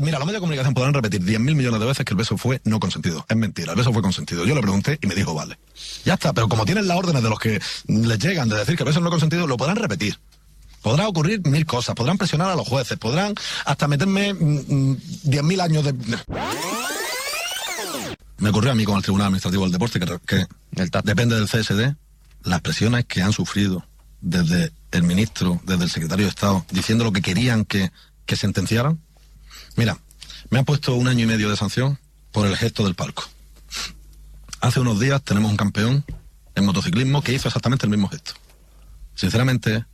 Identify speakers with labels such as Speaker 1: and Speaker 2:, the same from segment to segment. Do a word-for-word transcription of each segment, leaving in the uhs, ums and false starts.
Speaker 1: Mira, los medios de comunicación podrán repetir diez mil millones de veces que el beso fue no consentido. Es mentira, el beso fue consentido. Yo le pregunté y me dijo, vale. Ya está, pero como tienen las órdenes de los que les llegan de decir que el beso no consentido, lo podrán repetir. Podrá ocurrir mil cosas, podrán presionar a los jueces, podrán hasta meterme diez mil años de... Me ocurrió a mí con el Tribunal Administrativo del Deporte, que, que depende del C S D, las presiones que han sufrido desde el ministro, desde el secretario de Estado, diciendo lo que querían que, que sentenciaran. Mira, me han puesto un año y medio de sanción por el gesto del palco. Hace unos días tenemos un campeón en motociclismo que hizo exactamente el mismo gesto. Sinceramente,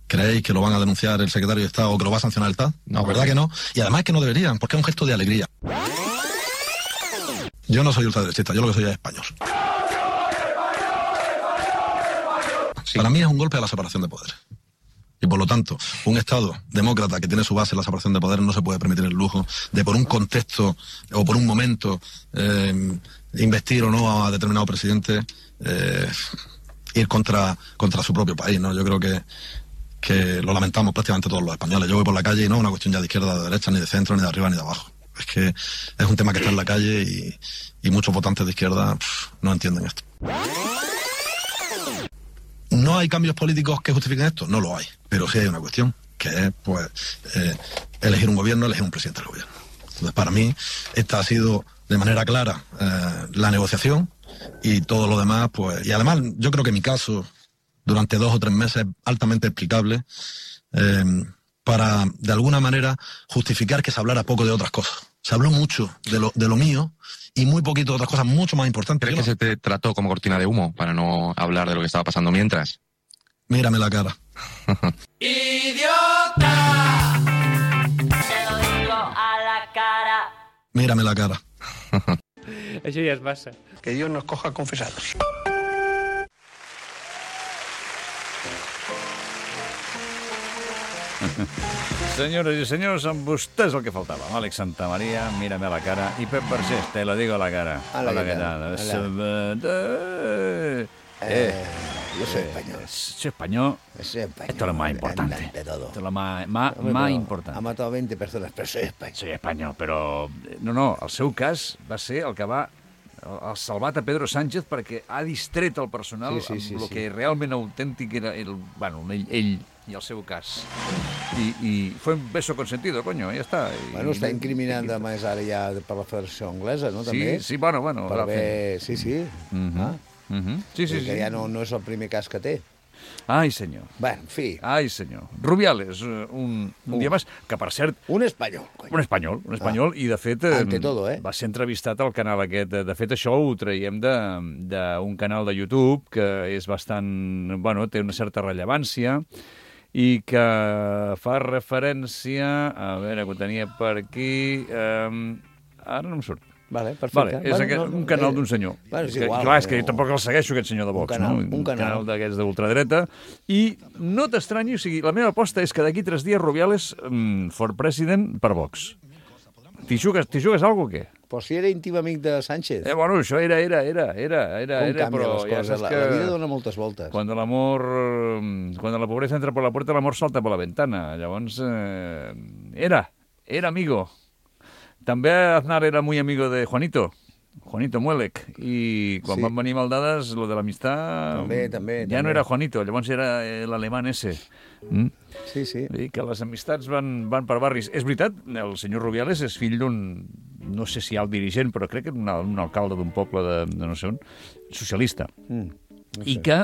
Speaker 1: ¿creéis que lo van a denunciar el secretario de Estado o que lo va a sancionar el T A D? No, ¿verdad que no? Y además es que no deberían, porque es un gesto de alegría. Yo no soy ultraderechista, yo lo que soy es español. Sí. Para mí es un golpe a la separación de poderes. Y por lo tanto, un Estado demócrata que tiene su base en la separación de poderes no se puede permitir el lujo de por un contexto o por un momento eh, investir o no a determinado presidente, eh, ir contra, contra su propio país, ¿no? Yo creo que, que lo lamentamos prácticamente todos los españoles. Yo voy por la calle y no es una cuestión ya de izquierda, de derecha, ni de centro, ni de arriba, ni de abajo. Es que es un tema que está en la calle y, y muchos votantes de izquierda pff, no entienden esto. ¿No hay cambios políticos que justifiquen esto? No lo hay. Pero sí hay una cuestión, que es pues eh, elegir un gobierno, elegir un presidente del gobierno. Entonces, para mí, esta ha sido de manera clara eh, la negociación y todo lo demás, pues... Y además, yo creo que mi caso, durante dos o tres meses, es altamente explicable eh, para, de alguna manera, justificar que se hablara poco de otras cosas. Se habló mucho de lo, de lo mío y muy poquito de otras cosas mucho más importantes.
Speaker 2: ¿Crees que se te trató como cortina de humo para no hablar de lo que estaba pasando mientras?
Speaker 1: Mírame la cara.
Speaker 3: ¡Idiota! Te lo digo a la cara.
Speaker 1: Mírame la cara.
Speaker 4: Això ja és massa.
Speaker 5: Que Dios nos coja confesados.
Speaker 4: Senyores i senyors, amb vostès el que faltava. Àlex Santamaría, mírame a la cara, i Pep Vergés, te lo digo a la cara.
Speaker 6: Hola,
Speaker 4: Hola,
Speaker 6: ¿qué
Speaker 4: ¿qué
Speaker 6: tal?
Speaker 4: tal?
Speaker 6: Eh,
Speaker 4: Eh,
Speaker 6: yo soy
Speaker 4: eh,
Speaker 6: español.
Speaker 4: Soy español.
Speaker 6: Soy español.
Speaker 4: Esto es lo más importante.
Speaker 6: Ante todo.
Speaker 4: Esto es lo más, más,
Speaker 6: Hombre,
Speaker 4: más
Speaker 6: pero
Speaker 4: importante.
Speaker 6: Ha matado veinte personas, pero soy español.
Speaker 4: Soy espanyol, però... No, no, el seu cas va ser el que va... el salvat a Pedro Sánchez perquè ha distret el personal
Speaker 6: Sí, sí, sí,
Speaker 4: amb el
Speaker 6: sí.
Speaker 4: que realment autèntic era el, bueno, ell, ell i el seu cas. I, i fue un beso consentido, coño, ja està. I,
Speaker 6: Bueno, està
Speaker 4: i-
Speaker 6: incriminant
Speaker 4: i-
Speaker 6: a més ara ja per la Federació Anglesa, no?
Speaker 4: Sí,
Speaker 6: També.
Speaker 4: sí, bueno, bueno.
Speaker 6: Per
Speaker 4: va
Speaker 6: haver... Sí, sí.
Speaker 4: Mhm.
Speaker 6: Ah,
Speaker 4: Mhm. Sí, sí,
Speaker 6: vull dir que
Speaker 4: sí.
Speaker 6: ja no, no és el primer cas que té.
Speaker 4: Ai, senyor.
Speaker 6: Bé, en fi,
Speaker 4: Ai, senyor. Rubiales, eh, un, un dia més, que per cert,
Speaker 6: un espanyol.
Speaker 4: un
Speaker 6: Coño.
Speaker 4: espanyol, un espanyol, i de fet... eh,
Speaker 6: Ante todo, eh?
Speaker 4: Va ser entrevistat al canal aquest. De fet, això ho traiem de- d'un canal de YouTube que és bastant... Bueno, té una certa rellevància i que fa referència... A veure, que ho tenia per aquí... Eh, ara no em surt.
Speaker 6: Vale, perfecte.
Speaker 4: Vale, és
Speaker 6: Bueno,
Speaker 4: aquest,
Speaker 6: no,
Speaker 4: un canal
Speaker 6: eh,
Speaker 4: d'un senyor.
Speaker 6: Bueno, és
Speaker 4: que,
Speaker 6: igual.
Speaker 4: clar, és que jo
Speaker 6: no.
Speaker 4: tampoc el segueixo, aquest senyor de Vox,
Speaker 6: Un canal,
Speaker 4: no?
Speaker 6: un canal.
Speaker 4: canal d'aquests d'ultradreta. I no t'estranyi, o sigui, la meva aposta és que d'aquí tres dies Rubiales mm, for president per Vox. T'hi jugues, t'hi jugues alguna cosa o què?
Speaker 6: Pues si era íntim amic de Sánchez.
Speaker 4: Eh, bueno, això era, era, era, era, era,
Speaker 6: Com
Speaker 4: era
Speaker 6: canvien
Speaker 4: però
Speaker 6: les
Speaker 4: ja
Speaker 6: coses.
Speaker 4: saps
Speaker 6: La,
Speaker 4: que...
Speaker 6: la vida dona moltes voltes.
Speaker 4: Cuando el amor, mm, cuando la pobreza entra por la puerta, el amor salta por la ventana. Llavors, eh, era, era amigo. També Aznar era muy amigo de Juanito, Juanito Muelec, i quan
Speaker 6: Sí.
Speaker 4: van venir maldades, lo de l'amistat...
Speaker 6: També, també,
Speaker 4: Ja no
Speaker 6: també.
Speaker 4: era Juanito, llavors era eh, l'alemany ese. Mm?
Speaker 6: Sí, sí.
Speaker 4: I que les amistats van, van per barris. És veritat, el senyor Rubiales és fill d'un, no sé si alt dirigent, però crec que un, un alcalde d'un poble de, de no sé on, socialista.
Speaker 6: Mm, no
Speaker 4: I
Speaker 6: sé.
Speaker 4: que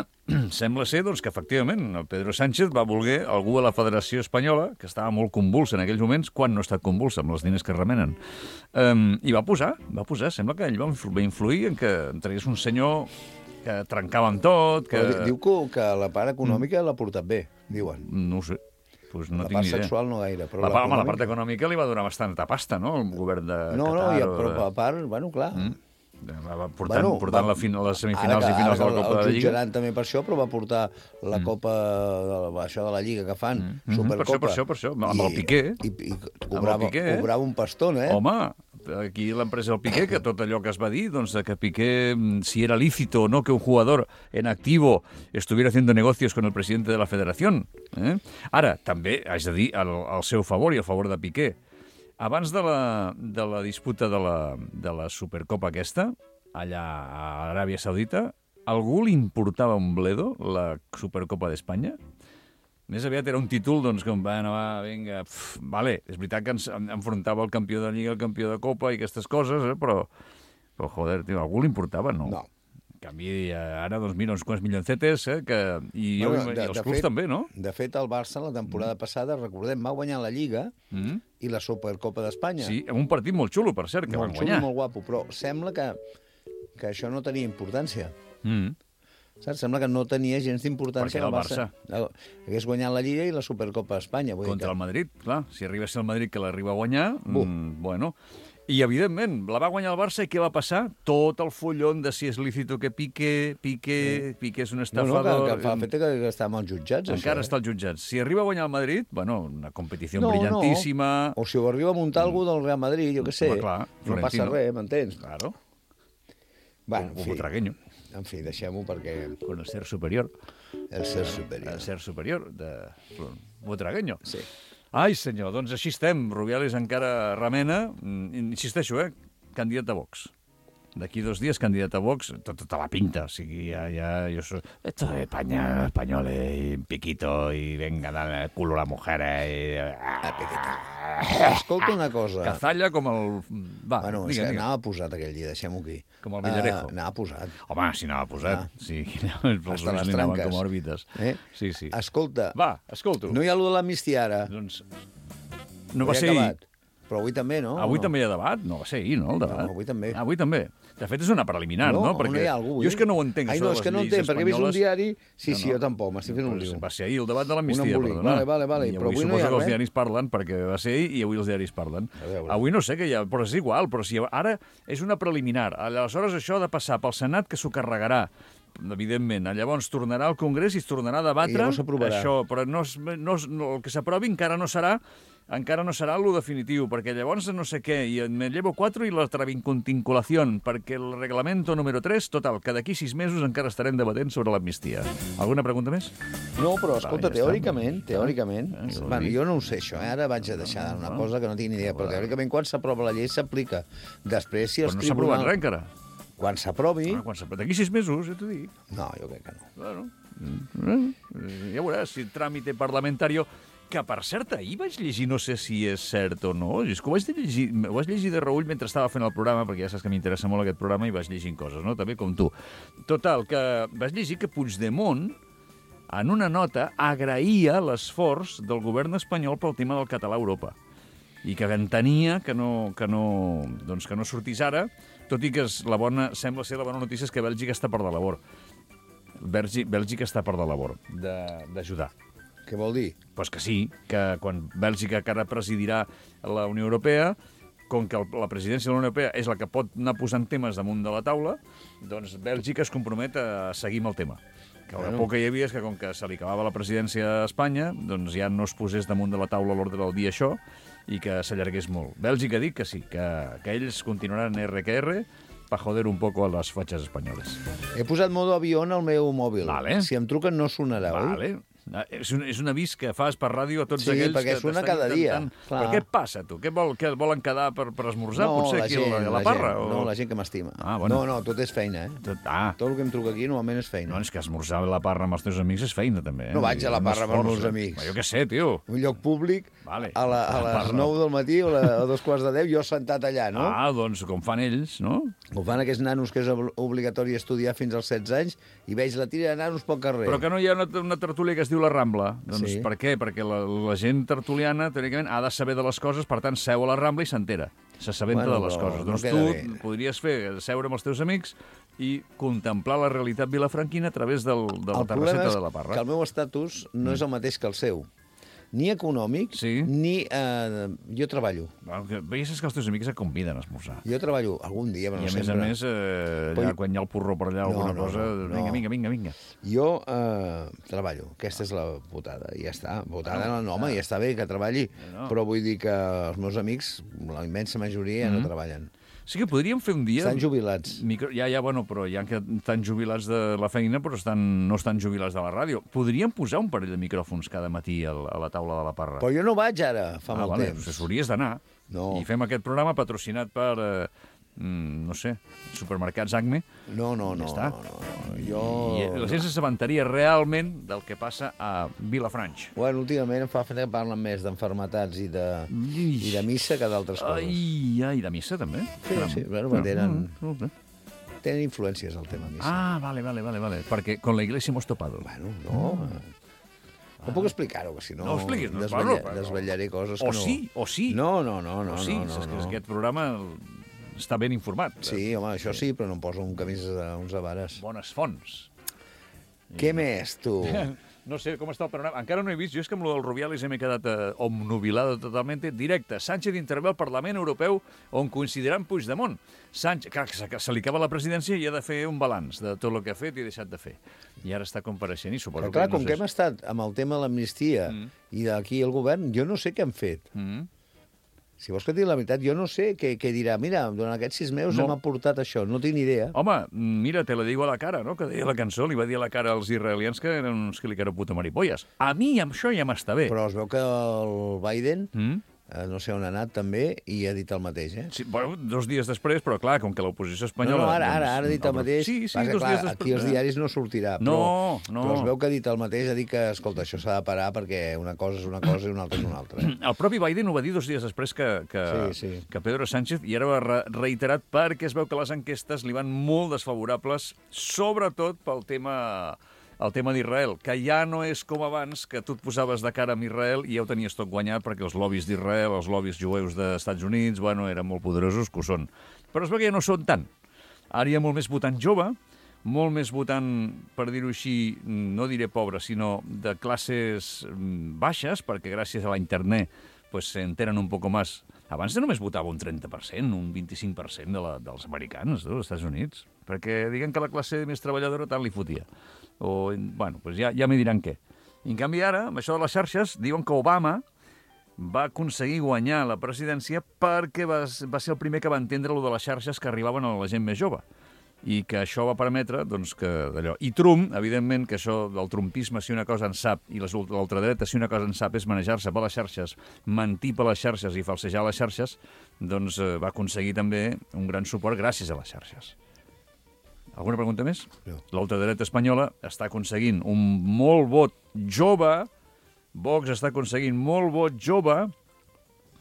Speaker 4: sembla ser doncs, que, efectivament, el Pedro Sánchez va voler algú a la Federació Espanyola, que estava molt convulsa en aquells moments, quan no ha estat convulsa amb els diners que remenen. Um, I va posar, va posar, sembla que ell va influ- va influir en que tragués un senyor que trencava amb tot, que...
Speaker 6: Però di- diu que, que la part econòmica l'ha portat bé, diuen.
Speaker 4: No ho sé. Pues no
Speaker 6: la
Speaker 4: tinc
Speaker 6: part
Speaker 4: ni idea.
Speaker 6: sexual no gaire, però
Speaker 4: la, part, home, la
Speaker 6: l'econòmica-
Speaker 4: part econòmica li va donar bastanta pasta, no?, el govern de
Speaker 6: No, no,
Speaker 4: Qatar.
Speaker 6: ja,
Speaker 4: o
Speaker 6: però
Speaker 4: de-
Speaker 6: a part, bueno, clar...
Speaker 4: Mm. Va, va portant,
Speaker 6: Bueno,
Speaker 4: portant
Speaker 6: va-
Speaker 4: la fin, les semifinals
Speaker 6: ara
Speaker 4: i
Speaker 6: que-
Speaker 4: finals de
Speaker 6: ara
Speaker 4: la
Speaker 6: que
Speaker 4: Copa de la
Speaker 6: el
Speaker 4: Lliga.
Speaker 6: jutjaran també per això, però va portar la Copa, de la, això de la Lliga que fan,
Speaker 4: Mhm,
Speaker 6: Supercopa.
Speaker 4: per això, per això, per això, amb el Piqué.
Speaker 6: I, i, i cobrava,
Speaker 4: Piqué, eh?
Speaker 6: cobrava un pastón, eh?
Speaker 4: Home, aquí l'empresa del Piqué, que tot allò que es va dir, doncs, de que Piqué, mm, si era lícito o no que un jugador en activo estuviera haciendo negocios con el presidente de la federación. Eh? Ara, també haig de dir al, al seu favor i al favor de Piqué, abans de la, de la disputa de la, de la Supercopa aquesta, allà a Aràbia Saudita, algú li importava un bledo la Supercopa d'Espanya? Més aviat era un títol, doncs, com va anar, va, vinga, pf, vale, és veritat que ens enfrontava el campió de Lliga, el campió de Copa i aquestes coses, eh, però, però joder, tio, algú li importava, no?
Speaker 6: No.
Speaker 4: En canvi, ara, doncs, mira, uns quants milioncetes, eh, que, i,
Speaker 6: Bueno,
Speaker 4: jo,
Speaker 6: de-
Speaker 4: i els
Speaker 6: de
Speaker 4: clubs
Speaker 6: fet-
Speaker 4: també, no?
Speaker 6: De fet, el Barça, la temporada passada, recordem, va guanyar la Lliga
Speaker 4: Mm?
Speaker 6: i la Supercopa d'Espanya.
Speaker 4: Sí, amb un partit molt xulo, per cert, que
Speaker 6: molt
Speaker 4: van
Speaker 6: xulo i
Speaker 4: guanyar.
Speaker 6: molt guapo, però sembla que, que això no tenia importància.
Speaker 4: Mm.
Speaker 6: Saps? Sembla que no tenia gens d'importància.
Speaker 4: Perquè era el
Speaker 6: Barça. Hagués guanyat la Lliga i la Supercopa d'Espanya. Vull dir
Speaker 4: Contra
Speaker 6: que...
Speaker 4: el Madrid, clar. Si arriba a ser el Madrid que l'arriba a guanyar,
Speaker 6: Bum.
Speaker 4: mm, bueno... I, evidentment, la va guanyar el Barça i què va passar? Tot el follon de si és lícito que Piqué, Piqué, Piqué és un
Speaker 6: No, no,
Speaker 4: estafador...
Speaker 6: que, que fa efecte que, que està amb els jutjats,
Speaker 4: Encara
Speaker 6: això.
Speaker 4: està als jutjats. Si arriba a guanyar el Madrid, bueno, una competició
Speaker 6: No,
Speaker 4: brillantíssima...
Speaker 6: No. O si ho arriba a muntar algú del Real Madrid, jo què sé.
Speaker 4: Home, clar,
Speaker 6: no passa
Speaker 4: Florentino.
Speaker 6: res, m'entens?
Speaker 4: Claro,
Speaker 6: Bueno,
Speaker 4: un
Speaker 6: en fi,
Speaker 4: butragueño,
Speaker 6: en fi, deixem-ho perquè
Speaker 4: con el ser superior.
Speaker 6: el ser superior.
Speaker 4: El ser superior de butragueño.
Speaker 6: Sí.
Speaker 4: Ai, senyor, doncs així estem. Rubiales encara remena. Mm, Insisteixo, eh? Candidat a Vox. D'aquí dos dies, candidat a Vox, tota, tota la pinta. O sigui, ja, ja, jo soy... Esto de España, español, y piquito, y venga, dale el culo a la mujer, y...
Speaker 6: Escolta una cosa.
Speaker 4: Cazalla com el... Va,
Speaker 6: Bueno, és
Speaker 4: digue,
Speaker 6: que
Speaker 4: digue.
Speaker 6: anava posat aquell dia, deixem-ho aquí.
Speaker 4: Com el Villarejo.
Speaker 6: Uh, anava posat.
Speaker 4: Home, si anava posat.
Speaker 6: Ah.
Speaker 4: Sí, els
Speaker 6: Hasta
Speaker 4: ulls
Speaker 6: les
Speaker 4: li anaven
Speaker 6: tranques.
Speaker 4: com òrbites.
Speaker 6: Eh?
Speaker 4: Sí, sí.
Speaker 6: Escolta,
Speaker 4: Va, escolto.
Speaker 6: no hi ha allò de l'amnistia ara.
Speaker 4: Doncs no va
Speaker 6: Ho he
Speaker 4: ser ahir.
Speaker 6: acabat. Però avui també, no?
Speaker 4: Avui
Speaker 6: no?
Speaker 4: també hi ha debat? No va ser ahir, no, el debat?
Speaker 6: No, avui també.
Speaker 4: Avui també. De fet, és una preliminar, no?
Speaker 6: no,
Speaker 4: Perquè
Speaker 6: no hi ha algú avui.
Speaker 4: jo és que no ho entenc,
Speaker 6: Ai,
Speaker 4: això
Speaker 6: no,
Speaker 4: de
Speaker 6: és que
Speaker 4: les
Speaker 6: no
Speaker 4: lleis
Speaker 6: entenc, perquè he vist un
Speaker 4: espanyoles.
Speaker 6: diari... Sí,
Speaker 4: No,
Speaker 6: sí,
Speaker 4: no.
Speaker 6: jo tampoc, m'estic fent un
Speaker 4: Pues
Speaker 6: lío.
Speaker 4: va ser ahir el debat de l'amnistia,
Speaker 6: Un embolic.
Speaker 4: perdona.
Speaker 6: Vale, vale, vale,
Speaker 4: I
Speaker 6: però
Speaker 4: avui
Speaker 6: avui no hi
Speaker 4: suposo
Speaker 6: ha
Speaker 4: que els
Speaker 6: res.
Speaker 4: diaris parlen, perquè va ser ahir i avui els diaris parlen.
Speaker 6: A veure.
Speaker 4: Avui no sé què hi ha, però és igual. Però si ara és una preliminar. Aleshores això ha de passar pel Senat, que s'ho carregarà, evidentment. Llavors tornarà al Congrés i es tornarà a debatre
Speaker 6: I llavors s'aprovarà.
Speaker 4: això. Però no, es- no, es- no, el que s'aprovi encara no serà encara no serà lo definitiu, perquè llavors no sé què, i me llevo quatre i la travincontinculació, perquè el reglamento número tres, total, que d'aquí sis mesos encara estarem debatent sobre l'amnistia. Alguna pregunta més?
Speaker 6: No, però escolta,
Speaker 4: ja està.
Speaker 6: teòricament, teòricament...
Speaker 4: Eh, jo ho
Speaker 6: Bueno,
Speaker 4: dic.
Speaker 6: jo no ho sé, això, eh? Ara vaig a deixar una cosa que no tinc ni idea, però teòricament quan s'aprova la llei s'aplica. Després, si
Speaker 4: Però
Speaker 6: els
Speaker 4: no s'ha aprovat res
Speaker 6: tribunals...
Speaker 4: encara.
Speaker 6: Quan s'aprovi...
Speaker 4: Ah, quan s'aprova. D'aquí sis mesos, ja t'ho dic.
Speaker 6: No, jo crec que no.
Speaker 4: Bueno, eh, ja veuràs si tràmite parlamentari... Que, per cert, ahir vaig llegir, no sé si és cert o no, és que ho vaig llegir, ho vaig llegir de reull mentre estava fent el programa, perquè ja saps que m'interessa molt aquest programa i vaig llegint coses, no? També com tu. Total, que vaig llegir que Puigdemont, en una nota, agraïa l'esforç del govern espanyol pel tema del català a Europa i que entenia que no, que no, doncs que no sortís ara, tot i que és la bona, sembla ser la bona notícia és que Bèlgica està per la labor. Bèlgica, Bèlgica està per la labor de- d'ajudar.
Speaker 6: Què vol dir?
Speaker 4: Pues que sí, que quan Bèlgica que ara presidirà la Unió Europea, com que el- la presidència de la Unió Europea és la que pot anar posant temes damunt de la taula, doncs Bèlgica es compromet a seguir amb el tema. Que el
Speaker 6: Bueno.
Speaker 4: por que hi havia és que com que se li acabava la presidència a Espanya, doncs ja no es posés damunt de la taula a l'ordre del dia això i que s'allargués molt. Bèlgica ha dit que sí, que, que ells continuaran R que R para joder un poco a les fatxes espanyoles.
Speaker 6: He posat modo avió al meu mòbil.
Speaker 4: Vale.
Speaker 6: Si em truquen no sonarà, oi?
Speaker 4: Vale. És un, és un avís que fas per ràdio a tots
Speaker 6: Sí,
Speaker 4: aquells
Speaker 6: perquè
Speaker 4: que
Speaker 6: sona
Speaker 4: t'estan
Speaker 6: cada dia,
Speaker 4: intentant...
Speaker 6: clar.
Speaker 4: Però què et passa, tu? Què, vol, què volen quedar per, per esmorzar, potser, aquí a la, a la parra?
Speaker 6: gent,
Speaker 4: o...
Speaker 6: no, la gent que m'estima.
Speaker 4: Ah, bueno.
Speaker 6: No, no, tot és feina, eh?
Speaker 4: Tot, ah,
Speaker 6: Tot el que em truca aquí normalment és feina.
Speaker 4: no, és que esmorzar a la parra amb els teus amics és feina, també. Eh?
Speaker 6: No vaig a la
Speaker 4: Un
Speaker 6: parra amb els
Speaker 4: esforç,
Speaker 6: meus
Speaker 4: eh?
Speaker 6: amics.
Speaker 4: Però jo què sé, tio.
Speaker 6: Un lloc públic,
Speaker 4: Vale.
Speaker 6: a, la, a
Speaker 4: La
Speaker 6: les
Speaker 4: parra.
Speaker 6: nou del matí o la, a dos quarts de deu, jo sentat allà, no?
Speaker 4: Ah, doncs com fan ells, no?
Speaker 6: Ho fan aquests nanos que és ob- obligatori estudiar fins als setze anys i veig la tira de nanos pel carrer.
Speaker 4: Però que no hi ha una, una tertúlia que es diu La Rambla. Doncs
Speaker 6: Sí.
Speaker 4: per què? Perquè la, la gent tertuliana, teòricament, ha de saber de les coses, per tant, seu a la Rambla i s'entera. S'assabenta
Speaker 6: Bueno,
Speaker 4: de les
Speaker 6: però
Speaker 4: coses.
Speaker 6: no
Speaker 4: Doncs
Speaker 6: queda
Speaker 4: tu
Speaker 6: bé.
Speaker 4: podries fer, seure amb els teus amics i contemplar la realitat vilafranquina a través del, de la
Speaker 6: el problema
Speaker 4: terrasseta
Speaker 6: és
Speaker 4: de la Parra.
Speaker 6: que el meu estatus no és el mateix que el seu. Ni econòmic,
Speaker 4: Sí.
Speaker 6: ni... Eh, jo treballo.
Speaker 4: Bueno, que veies que els teus amics et conviden a esmorzar.
Speaker 6: Jo treballo algun dia, però
Speaker 4: I a
Speaker 6: no
Speaker 4: més
Speaker 6: sempre.
Speaker 4: a més, eh, allà,
Speaker 6: Però-
Speaker 4: quan hi ha el porró per allà, alguna
Speaker 6: no,
Speaker 4: cosa,
Speaker 6: no, no.
Speaker 4: vinga, vinga, vinga, vinga.
Speaker 6: Jo eh, treballo, aquesta és la putada, i ja està. Putada no, no, home, ja està bé que treballi,
Speaker 4: No.
Speaker 6: però vull dir que els meus amics, la immensa majoria,
Speaker 4: Mm-hmm.
Speaker 6: no treballen.
Speaker 4: Sí que podríem fer un dia...
Speaker 6: Estan jubilats.
Speaker 4: Micro... Ja, ja, bueno, però hi ha que estan jubilats de la feina, però estan, no estan jubilats de la ràdio. Podríem posar un parell de micròfons cada matí a la, a la taula de la parra.
Speaker 6: Però jo no vaig ara, fa
Speaker 4: ah,
Speaker 6: molt
Speaker 4: vale,
Speaker 6: temps.
Speaker 4: Doncs hauries d'anar.
Speaker 6: No.
Speaker 4: I fem aquest programa patrocinat per, eh, mm, no sé, supermercats Acme.
Speaker 6: No, no, no.
Speaker 4: Ja està.
Speaker 6: no, no, no. Jo...
Speaker 4: I la gent s'assabentaria realment del que passa a Vilafranca.
Speaker 6: Bueno, últimament em fa fer que parlen més d'enfermetats i de, i de missa que d'altres coses.
Speaker 4: Ai, ai, de missa també?
Speaker 6: Sí,
Speaker 4: Caram.
Speaker 6: sí, bueno, tenen,
Speaker 4: No, no, no.
Speaker 6: tenen influències al tema missa.
Speaker 4: Ah, vale, vale, vale, vale. Perquè con la iglesia hemos topado.
Speaker 6: Bueno, no... No puc explicar-ho, que si no...
Speaker 4: No ho expliquis, no,
Speaker 6: desvetlla,
Speaker 4: bueno, però-
Speaker 6: desvetllaré coses
Speaker 4: O
Speaker 6: que no...
Speaker 4: sí, o sí.
Speaker 6: No, no, no, no.
Speaker 4: O sí,
Speaker 6: no, no,
Speaker 4: és que
Speaker 6: no.
Speaker 4: aquest programa està ben informat.
Speaker 6: Sí, home, això sí, però no em poso un camís a uns avares.
Speaker 4: Bones fonts.
Speaker 6: Què més, tu?
Speaker 4: No sé com està el panorama. Encara no he vist. Jo és que amb lo del Rubiales m'he quedat eh, omnubilado totalment. Directe. Sánchez intervé al Parlament Europeu on coincidirà amb Puigdemont. Sánchez, clar, que se, que se li acaba la presidència i ha de fer un balanç de tot el que ha fet i ha deixat de fer. I ara està compareixent i suposo
Speaker 6: Però clar,
Speaker 4: que... no
Speaker 6: com
Speaker 4: sé
Speaker 6: que hem estat amb el tema de l'amnistia
Speaker 4: Mm.
Speaker 6: i d'aquí el govern, jo no sé què han fet.
Speaker 4: Mm.
Speaker 6: Si vols que et digui la veritat, jo no sé què, què dirà. Mira, durant aquests sis mesos
Speaker 4: No.
Speaker 6: hem aportat això, no tinc ni idea.
Speaker 4: Home, mira, te la digo a la cara, no?, que deia la cançó, li va dir a la cara als israelians que eren uns que li quero puta maripolles. A mi amb això ja m'està bé.
Speaker 6: Però es veu que el Biden,
Speaker 4: Mm?
Speaker 6: eh, no sé on ha anat també, i ha dit el mateix, eh?
Speaker 4: Sí, bueno, dos dies després, però clar, com que l'oposició
Speaker 6: No,
Speaker 4: espanyola...
Speaker 6: no, ara, ara,
Speaker 4: doncs,
Speaker 6: ara ha dit el mateix.
Speaker 4: Sí, sí,
Speaker 6: Passa,
Speaker 4: dos
Speaker 6: clar,
Speaker 4: dies després.
Speaker 6: aquí als diaris no sortirà, però,
Speaker 4: No, no.
Speaker 6: però es veu que ha dit el mateix, ha dit que, escolta, això s'ha de parar perquè una cosa és una cosa i una altra és una altra. Eh?
Speaker 4: El propi Biden ho va dir dos dies després que, que,
Speaker 6: Sí, sí.
Speaker 4: que Pedro Sánchez, i ara ho ha re reiterat perquè es veu que les enquestes li van molt desfavorables, sobretot pel tema... el tema d'Israel, que ja no és com abans, que tu et posaves de cara amb Israel i ja ho tenies tot guanyat perquè els lobbies d'Israel, els lobbies jueus dels Estats Units, bueno, eren molt poderosos, que ho són. Però es veu que ja no són tant. Ara hi ha molt més votant jove, molt més votant, per dir-ho així, no diré pobre, sinó de classes mm, baixes, perquè gràcies a la internet pues, se enteren un poco más. Abans només votava un trenta per cent, un vint-i-cinc per cent de la, dels americans, dels Estats Units, perquè diguen que la classe més treballadora tant li fotia. O, bueno, pues ja, ja m'hi diran què. I en canvi ara, amb això de les xarxes, diuen que Obama va aconseguir guanyar la presidència perquè va, va ser el primer que va entendre lo de les xarxes que arribaven a la gent més jove. I que això va permetre, doncs, que d'allò... I Trump, evidentment, que això del trumpisme, si una cosa en sap, i l'ultradreta, si una cosa en sap, és manejar-se per les xarxes, mentir per les xarxes i falsejar les xarxes, doncs eh, va aconseguir també un gran suport gràcies a les xarxes. Alguna pregunta més?
Speaker 6: No.
Speaker 4: L'ultradreta espanyola està aconseguint un molt vot jove, Vox està aconseguint molt vot jove,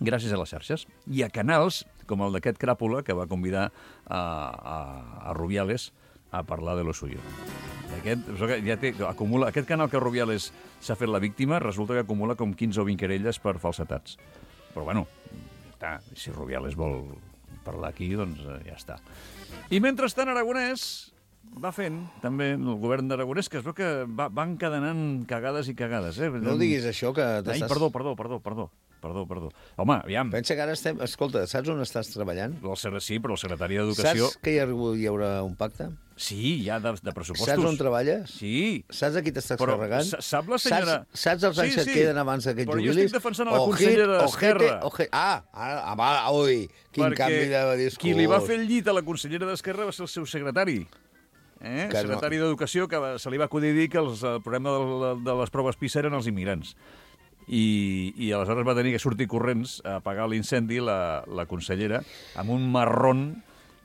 Speaker 4: gràcies a les xarxes. I a canals, com el d'aquest Cràpula, que va convidar a, a, a Rubiales a parlar de lo suyo. Aquest, ja té, acumula, aquest canal que Rubiales s'ha fet la víctima, resulta que acumula com quinze o vint querelles per falsetats. Però, bueno, ja està. Si Rubiales vol parlar aquí, doncs eh, ja està. I mentrestant, Aragonès va fent, també, el govern d'Aragonès, que es veu que va, va encadenant cagades i cagades. Eh?
Speaker 6: No diguis això, que
Speaker 4: Ai,
Speaker 6: t'estàs...
Speaker 4: perdó, perdó, perdó, perdó. Perdó, perdó. Home, aviam,
Speaker 6: Pensa que ara estem... Escolta, saps on estàs treballant?
Speaker 4: el, ser- sí, però el secretari d'Educació...
Speaker 6: Saps que hi, ha, hi haurà un pacte?
Speaker 4: Sí, ja de, de pressupostos.
Speaker 6: Saps on treballes?
Speaker 4: Sí.
Speaker 6: Saps a qui t'estàs
Speaker 4: Però
Speaker 6: carregant?
Speaker 4: sa- sap la senyora-
Speaker 6: Saps, saps els anys
Speaker 4: Sí,
Speaker 6: que
Speaker 4: sí.
Speaker 6: et queden abans que et
Speaker 4: Però jo
Speaker 6: jubilis?
Speaker 4: estic defensant a la
Speaker 6: Ojit,
Speaker 4: consellera
Speaker 6: ojete,
Speaker 4: d'Esquerra.
Speaker 6: ojete. Ah, ara, ah, va, ui, quin canvi de discurs.
Speaker 4: qui li va fer el llit a la consellera d'Esquerra va ser el seu secretari. Eh?
Speaker 6: Que no-
Speaker 4: Secretari d'Educació, que va, se li va acudir dir que els, el problema de, de les proves PISA eren els immigrants. I, i aleshores va tenir que sortir corrents a apagar l'incendi la, la consellera amb un marrón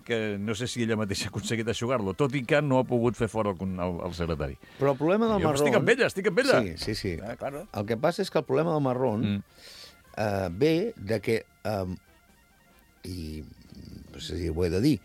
Speaker 4: que no sé si ella mateixa ha aconseguit aixugar-lo, tot i que no ha pogut fer fora el, el, el secretari.
Speaker 6: Però el problema del
Speaker 4: Jo
Speaker 6: marrón...
Speaker 4: estic amb ella, estic amb ella.
Speaker 6: Sí, sí, sí.
Speaker 4: Ah, claro.
Speaker 6: El que passa és que el problema del marrón
Speaker 4: Mm.
Speaker 6: eh, ve de que... Eh, I no sé si ho he de dir,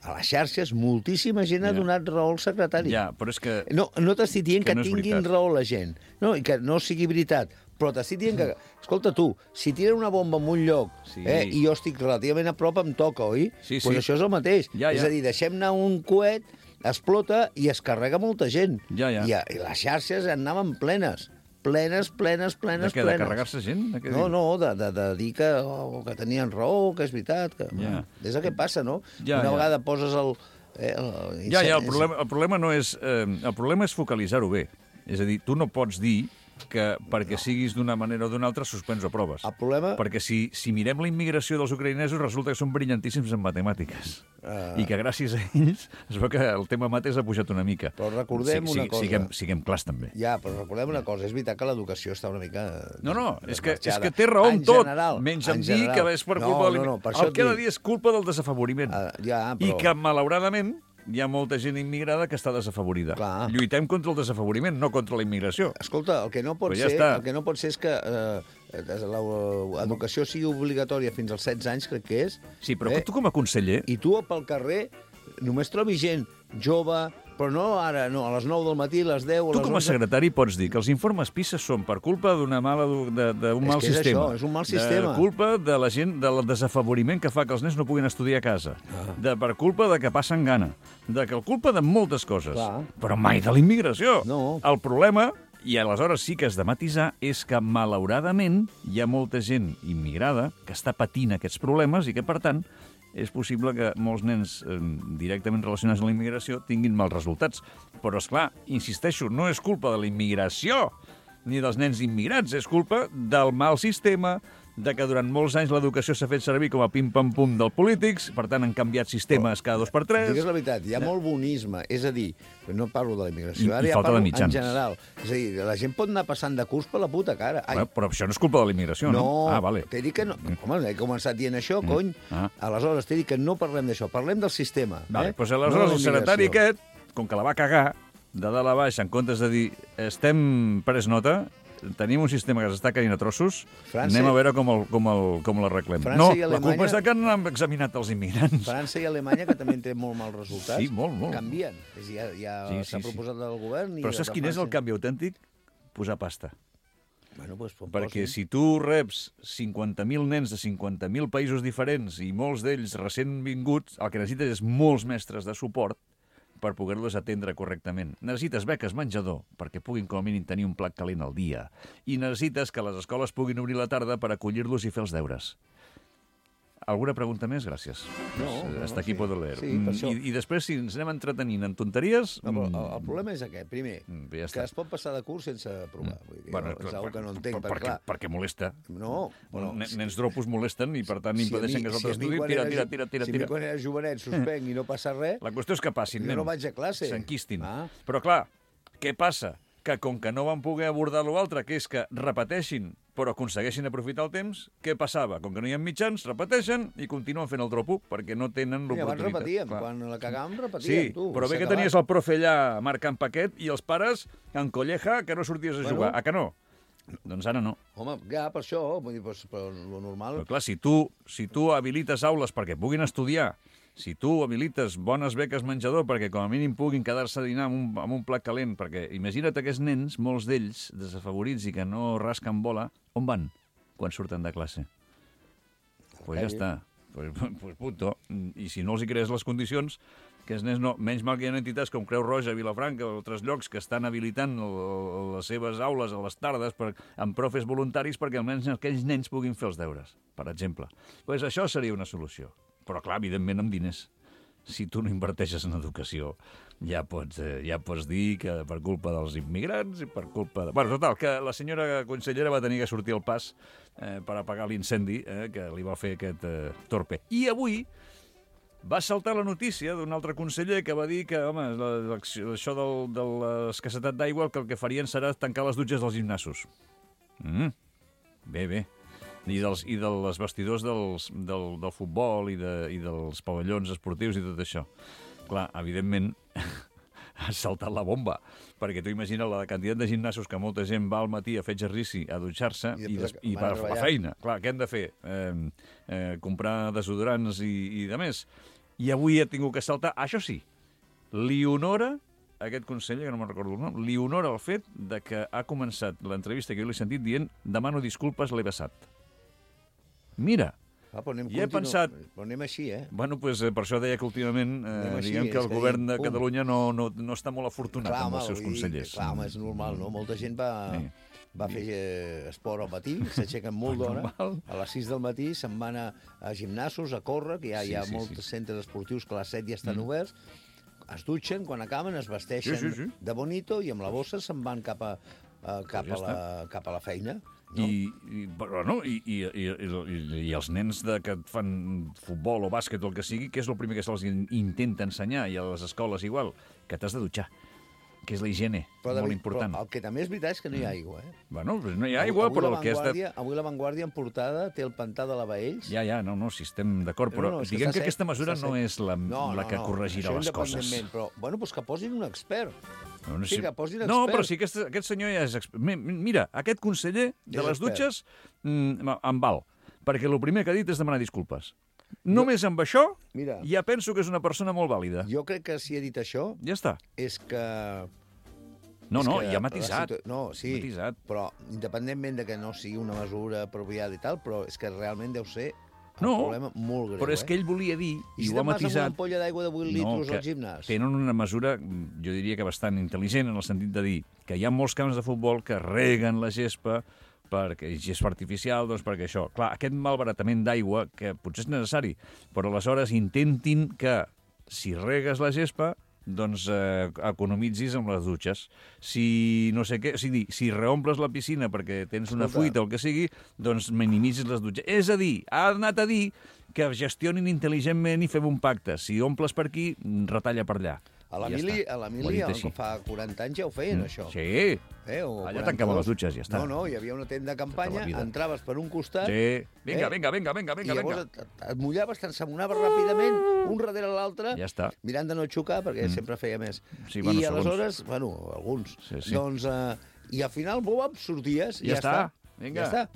Speaker 6: a les xarxes moltíssima gent ha
Speaker 4: Ja.
Speaker 6: donat raó al secretari.
Speaker 4: Ja, però és que...
Speaker 6: No, no t'estic dient
Speaker 4: Que
Speaker 6: que,
Speaker 4: no és
Speaker 6: tinguin
Speaker 4: veritat.
Speaker 6: raó la gent, no, i que no sigui veritat, però t'estic dient que, escolta tu, si tiren una bomba en un lloc
Speaker 4: Sí.
Speaker 6: eh, i jo estic relativament a prop, em toca, oi?
Speaker 4: Sí,
Speaker 6: pues
Speaker 4: sí.
Speaker 6: això és el mateix.
Speaker 4: Ja,
Speaker 6: És
Speaker 4: ja.
Speaker 6: a dir, deixem anar un coet, explota i es carrega molta gent.
Speaker 4: Ja, ja.
Speaker 6: I, a- I les xarxes anaven plenes, plenes, plenes,
Speaker 4: De
Speaker 6: plenes,
Speaker 4: què, de
Speaker 6: plenes.
Speaker 4: carregar-se gent? De què
Speaker 6: No,
Speaker 4: dius?
Speaker 6: no, de, de, de dir que, oh, que tenien raó, que és veritat. Que,
Speaker 4: Ja.
Speaker 6: És el que passa, no?
Speaker 4: Ja,
Speaker 6: Una
Speaker 4: ja.
Speaker 6: vegada poses el... Eh, el
Speaker 4: Ja, ja, el problema, el problema no és... Eh, el problema és focalitzar-ho bé. És a dir, tu no pots dir que perquè siguis d'una manera o d'una altra suspens o proves.
Speaker 6: El problema...
Speaker 4: Perquè si, si mirem la immigració dels ucraïnesos resulta que són brillantíssims en matemàtiques.
Speaker 6: Uh...
Speaker 4: I que gràcies a ells es veu que el tema mates ha pujat una mica.
Speaker 6: Però recordem una cosa.
Speaker 4: Siguem, siguem clars, també.
Speaker 6: Ja, però recordem una cosa. És veritat que l'educació està una mica...
Speaker 4: No, no, és que, és que té raó en tot. General, menys en, en dir que és per culpa... No, no, no, per el que ha de dir és culpa del desafavoriment. Uh, ja, però... I que, malauradament, hi ha molta gent immigrada que està desafavorida. Clar. Lluitem contra el desafavoriment, no contra la immigració.
Speaker 6: Escolta, el que no pot, ja ser, el que no pot ser és que eh, l'educació sigui obligatòria fins als setze anys, crec que és.
Speaker 4: Sí, però eh? tu com a conseller...
Speaker 6: I tu pel carrer només trobis gent jove, però no ara, no, a les nou del matí, a les deu, a les
Speaker 4: tu com a secretari pots dir que els informes PISA són per culpa d'una mala d'un mal
Speaker 6: és que és
Speaker 4: sistema.
Speaker 6: Això, és un mal sistema.
Speaker 4: De culpa de la gent, del desafավորiment que fa que els nens no puguin estudiar a casa. Ah. De, per culpa de que passen gana. De que el culpa de moltes coses. Clar. Però mai de la immigració.
Speaker 6: No.
Speaker 4: El problema, i aleshores sí que has de matisar, és que malauradament hi ha molta gent immigrada que està patint aquests problemes i que, per tant, és possible que molts nens eh, directament relacionats amb la immigració tinguin mals resultats. Però, és clar, insisteixo, no és culpa de la immigració ni dels nens immigrats, és culpa del mal sistema, de que durant molts anys l'educació s'ha fet servir com a pim-pam-pum dels polítics, per tant han canviat sistemes cada dos per tres.
Speaker 6: Digues la veritat, hi ha molt bonisme, és a dir, no parlo de la immigració,
Speaker 4: I,
Speaker 6: ara
Speaker 4: i
Speaker 6: ja parlo
Speaker 4: en
Speaker 6: general. És a dir, la gent pot anar passant de curs per la puta cara. Ai.
Speaker 4: Bueno, però això no és culpa de la immigració, no?
Speaker 6: No,
Speaker 4: ah, vale.
Speaker 6: t'he dit que no. Home, he començat dient això,
Speaker 4: mm.
Speaker 6: cony.
Speaker 4: Ah.
Speaker 6: Aleshores, t'he dit que no parlem d'això, parlem del sistema.
Speaker 4: Vale,
Speaker 6: eh?
Speaker 4: doncs aleshores no el secretari aquest, com que la va cagar, de dalt a baix, en comptes de dir estem pres nota, tenim un sistema que s'està caient a trossos, França... anem a veure com, el, com, el, com l'arreglem. No, Alemanya... la culpa és que no han examinat els immigrants.
Speaker 6: França i Alemanya, que també tenen molt mals resultats,
Speaker 4: sí, molt, molt.
Speaker 6: canvien. Ja, ja
Speaker 4: sí, sí,
Speaker 6: s'ha proposat
Speaker 4: sí.
Speaker 6: del govern... I
Speaker 4: però saps quin és el canvi autèntic? Posar pasta.
Speaker 6: Bueno, pues,
Speaker 4: perquè posin. Si tu reps cinquanta mil nens de cinquanta mil països diferents i molts d'ells recent vinguts, el que necessites és molts mestres de suport per poder-los atendre correctament. Necessites beques menjador perquè puguin com a mínim tenir un plat calent al dia. I necessites que les escoles puguin obrir la tarda per acollir-los i fer els deures. Alguna pregunta més? Gràcies.
Speaker 6: No, no,
Speaker 4: Hasta aquí
Speaker 6: sí.
Speaker 4: puedo leer.
Speaker 6: Sí, per això.
Speaker 4: I, I després, si ens anem entretenint en tonteries...
Speaker 6: No, però el, el problema és aquest. Primer,
Speaker 4: ja
Speaker 6: que es pot passar de curs sense provar. Vull dir,
Speaker 4: bueno,
Speaker 6: és una que no entenc,
Speaker 4: per, perquè,
Speaker 6: clar.
Speaker 4: perquè molesta.
Speaker 6: No, bueno,
Speaker 4: Nens sí. dropos molesten i, per tant, impedeixen si que els altres si estudin. Tira, tira, tira, tira.
Speaker 6: Si a mi quan era jovenet suspenc i no passa res...
Speaker 4: La qüestió és que passin, nen.
Speaker 6: Jo no vaig a classe.
Speaker 4: S'enquistin.
Speaker 6: Ah.
Speaker 4: Però, clar, què passa? Que com que no van poder abordar l'altre, que és que repeteixin però aconsegueixin aprofitar el temps, què passava? Com que no hi ha mitjans, repeteixen i continuen fent el dropo perquè no tenen l'oportunitat.
Speaker 6: I abans repetíem, clar. Quan la cagàvem repetíem,
Speaker 4: sí,
Speaker 6: tu.
Speaker 4: Però bé que tenies el profe allà marcant paquet i els pares en colleja que no sorties a bueno. jugar. A que no? Doncs ara no.
Speaker 6: Home, ja, per això, vull dir, però, però lo normal...
Speaker 4: Però clar, si tu, si tu habilites aules perquè puguin estudiar, si tu habilites bones beques menjador perquè com a mínim puguin quedar-se a dinar amb un, amb un plat calent, perquè imagina't aquests nens, molts d'ells, desafavorits i que no rasquen bola, on van quan surten de classe? Doncs pues ja està. Pues, pues punto. I si no els hi crees les condicions, que els nens no... Menys mal que hi ha entitats com Creu Roja, Vilafranca o altres llocs que estan habilitant el, el, les seves aules a les tardes per, amb profes voluntaris perquè almenys aquells nens puguin fer els deures, per exemple. Pues això seria una solució. Però, clar, evidentment, amb diners. Si tu no inverteixes en educació, ja pots, eh, ja pots dir que per culpa dels immigrants i per culpa de... Bueno, total, que la senyora consellera va tenir que sortir al pas eh, per apagar l'incendi eh, que li va fer aquest eh, torpe. I avui va saltar la notícia d'un altre conseller que va dir que, home, això del, de l'escassetat d'aigua, que el que farien serà tancar les dutxes dels gimnasos. Mm. Bé, bé. I dels, i dels vestidors dels, del, del futbol i, de, i dels pavellons esportius i tot això. Clar, evidentment, ha saltat la bomba, perquè tu imagina la quantitat de gimnasos que molta gent va al matí a fer exercici, a dutxar-se i, i, des, i va a la feina. Clar, què hem de fer? Eh, eh, comprar desodorants i, i de més. I avui ha tingut que saltar. Això sí, li honora aquest conseller, que no me'n recordo el nom, li honora el fet de que ha començat l'entrevista que jo l'he sentit dient demano disculpes, l'he vessat. Mira,
Speaker 6: ah, anem
Speaker 4: i he continu... pensat...
Speaker 6: Però anem així, eh?
Speaker 4: Bueno, pues, eh, per això deia que últimament eh, així, diguem que el govern de pum. Catalunya no, no, no està molt afortunat clar, amb els seus consellers.
Speaker 6: Clar, home, és normal, no? Molta gent va, sí. va fer eh, esport al matí, s'aixequen molt d'hora, a les sis del matí se'n van a, a gimnasos, a córrer, que ja sí, hi ha sí, molts sí. centres esportius que a les set ja estan mm. oberts, es dutxen, quan acaben es vesteixen sí, sí, sí. de bonito i amb la bossa se'n van cap a, uh, cap,
Speaker 4: Pues ja
Speaker 6: a la, cap a la feina. No?
Speaker 4: I, i, però, no, i, i, i, i, i els nens de, que fan futbol o bàsquet o el que sigui, què és el primer que se'ls intenta ensenyar? I a les escoles igual, que t'has de dutxar, que és la higiene,
Speaker 6: però,
Speaker 4: molt
Speaker 6: David,
Speaker 4: important.
Speaker 6: Però el que també és veritat és que no hi ha aigua, eh?
Speaker 4: Bueno, doncs no hi ha aigua,
Speaker 6: avui
Speaker 4: però
Speaker 6: la
Speaker 4: el que és de...
Speaker 6: Avui la Vanguardia en portada té el pantà de la Baells.
Speaker 4: Ja, ja, no, no, si estem d'acord, però
Speaker 6: no, no,
Speaker 4: diguem que,
Speaker 6: que
Speaker 4: aquesta mesura
Speaker 6: està
Speaker 4: no és la,
Speaker 6: no,
Speaker 4: la
Speaker 6: no,
Speaker 4: que
Speaker 6: no,
Speaker 4: corregirà
Speaker 6: això
Speaker 4: les coses.
Speaker 6: independentment, Però, bueno, doncs que posin un expert.
Speaker 4: No, no,
Speaker 6: Sí, que posin expert.
Speaker 4: no, però si aquest, aquest senyor ja és expert. Mira, aquest conseller de
Speaker 6: És
Speaker 4: les
Speaker 6: expert.
Speaker 4: dutxes mm, em val, perquè el primer que ha dit és demanar disculpes. Només amb això
Speaker 6: Mira.
Speaker 4: ja penso que és una persona molt vàlida.
Speaker 6: Jo crec que si he dit això
Speaker 4: Ja està.
Speaker 6: és que...
Speaker 4: No,
Speaker 6: és
Speaker 4: no,
Speaker 6: que
Speaker 4: ja ha
Speaker 6: la
Speaker 4: matisat.
Speaker 6: situa- No, sí,
Speaker 4: Matisat.
Speaker 6: però independentment de que no sigui una mesura apropiada i tal, però és que realment deu ser un
Speaker 4: No,
Speaker 6: problema molt greu.
Speaker 4: Però és que
Speaker 6: eh?
Speaker 4: ell volia dir,
Speaker 6: I
Speaker 4: i
Speaker 6: si
Speaker 4: ho ha
Speaker 6: te'n vas amb una
Speaker 4: matisat...
Speaker 6: ampolla d'aigua de vuit litres al gimnàs?
Speaker 4: Tenen una mesura, jo diria que bastant intel·ligent, en el sentit de dir que hi ha molts camps de futbol que reguen la gespa perquè gespa artificial, doncs perquè això... Clar, aquest malbaratament d'aigua, que potser és necessari, però aleshores intentin que, si regues la gespa, doncs eh, economitzis amb les dutxes. Si no sé què, o sigui, si reomples la piscina perquè tens una
Speaker 6: Escolta.
Speaker 4: fuita o el que sigui, doncs minimitzis les dutxes. És a dir, ha anat a dir que gestionin intel·ligentment i fem un pacte. Si omples per aquí, retalla per allà.
Speaker 6: A
Speaker 4: Ja
Speaker 6: l'Emili,
Speaker 4: està.
Speaker 6: a
Speaker 4: Ho ha
Speaker 6: l'Emili,
Speaker 4: dit així.
Speaker 6: fa quaranta anys ja ho feien, això.
Speaker 4: Sí,
Speaker 6: Eh, o
Speaker 4: allà
Speaker 6: quaranta-dos.
Speaker 4: tancaven les dutxes, ja està.
Speaker 6: No, no, hi havia una tenda de campanya,
Speaker 4: Tota la vida.
Speaker 6: entraves per un costat...
Speaker 4: sí. Vinga,
Speaker 6: Eh?
Speaker 4: vinga, vinga, vinga, vinga,
Speaker 6: I llavors
Speaker 4: vinga.
Speaker 6: et, et mullaves, t'ensamonaves ràpidament, un darrere l'altre,
Speaker 4: Ja està.
Speaker 6: mirant de no xocar, perquè mm. sempre feia més.
Speaker 4: Sí, bueno,
Speaker 6: I
Speaker 4: segons.
Speaker 6: aleshores, bueno, alguns,
Speaker 4: Sí, sí.
Speaker 6: doncs, eh, i al final, bom, sorties, i
Speaker 4: Ja
Speaker 6: ja,
Speaker 4: està.
Speaker 6: està.
Speaker 4: Vinga.
Speaker 6: Ja està.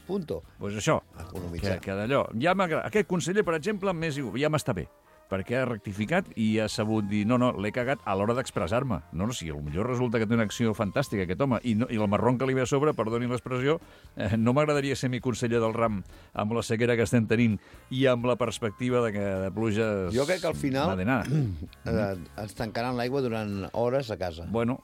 Speaker 6: Punto.
Speaker 4: Doncs pues això,
Speaker 6: Economitzar.
Speaker 4: que, que d'allò... Ja m'agrada. Aquest conseller, per exemple, més, ja m'està bé, perquè ha rectificat i ha sabut dir no, no, l'he cagat a l'hora d'expressar-me. No, no, si potser resulta que té una acció fantàstica, aquest home, i, no, i el marron que li ve a sobre, perdoni l'expressió, eh, no m'agradaria ser mi conseller del ram amb la sequera que estem tenint i amb la perspectiva de que de pluges...
Speaker 6: Jo crec que al final
Speaker 4: m'ha d'anar.
Speaker 6: eh, ens tancaran l'aigua durant hores a casa.
Speaker 4: Bueno,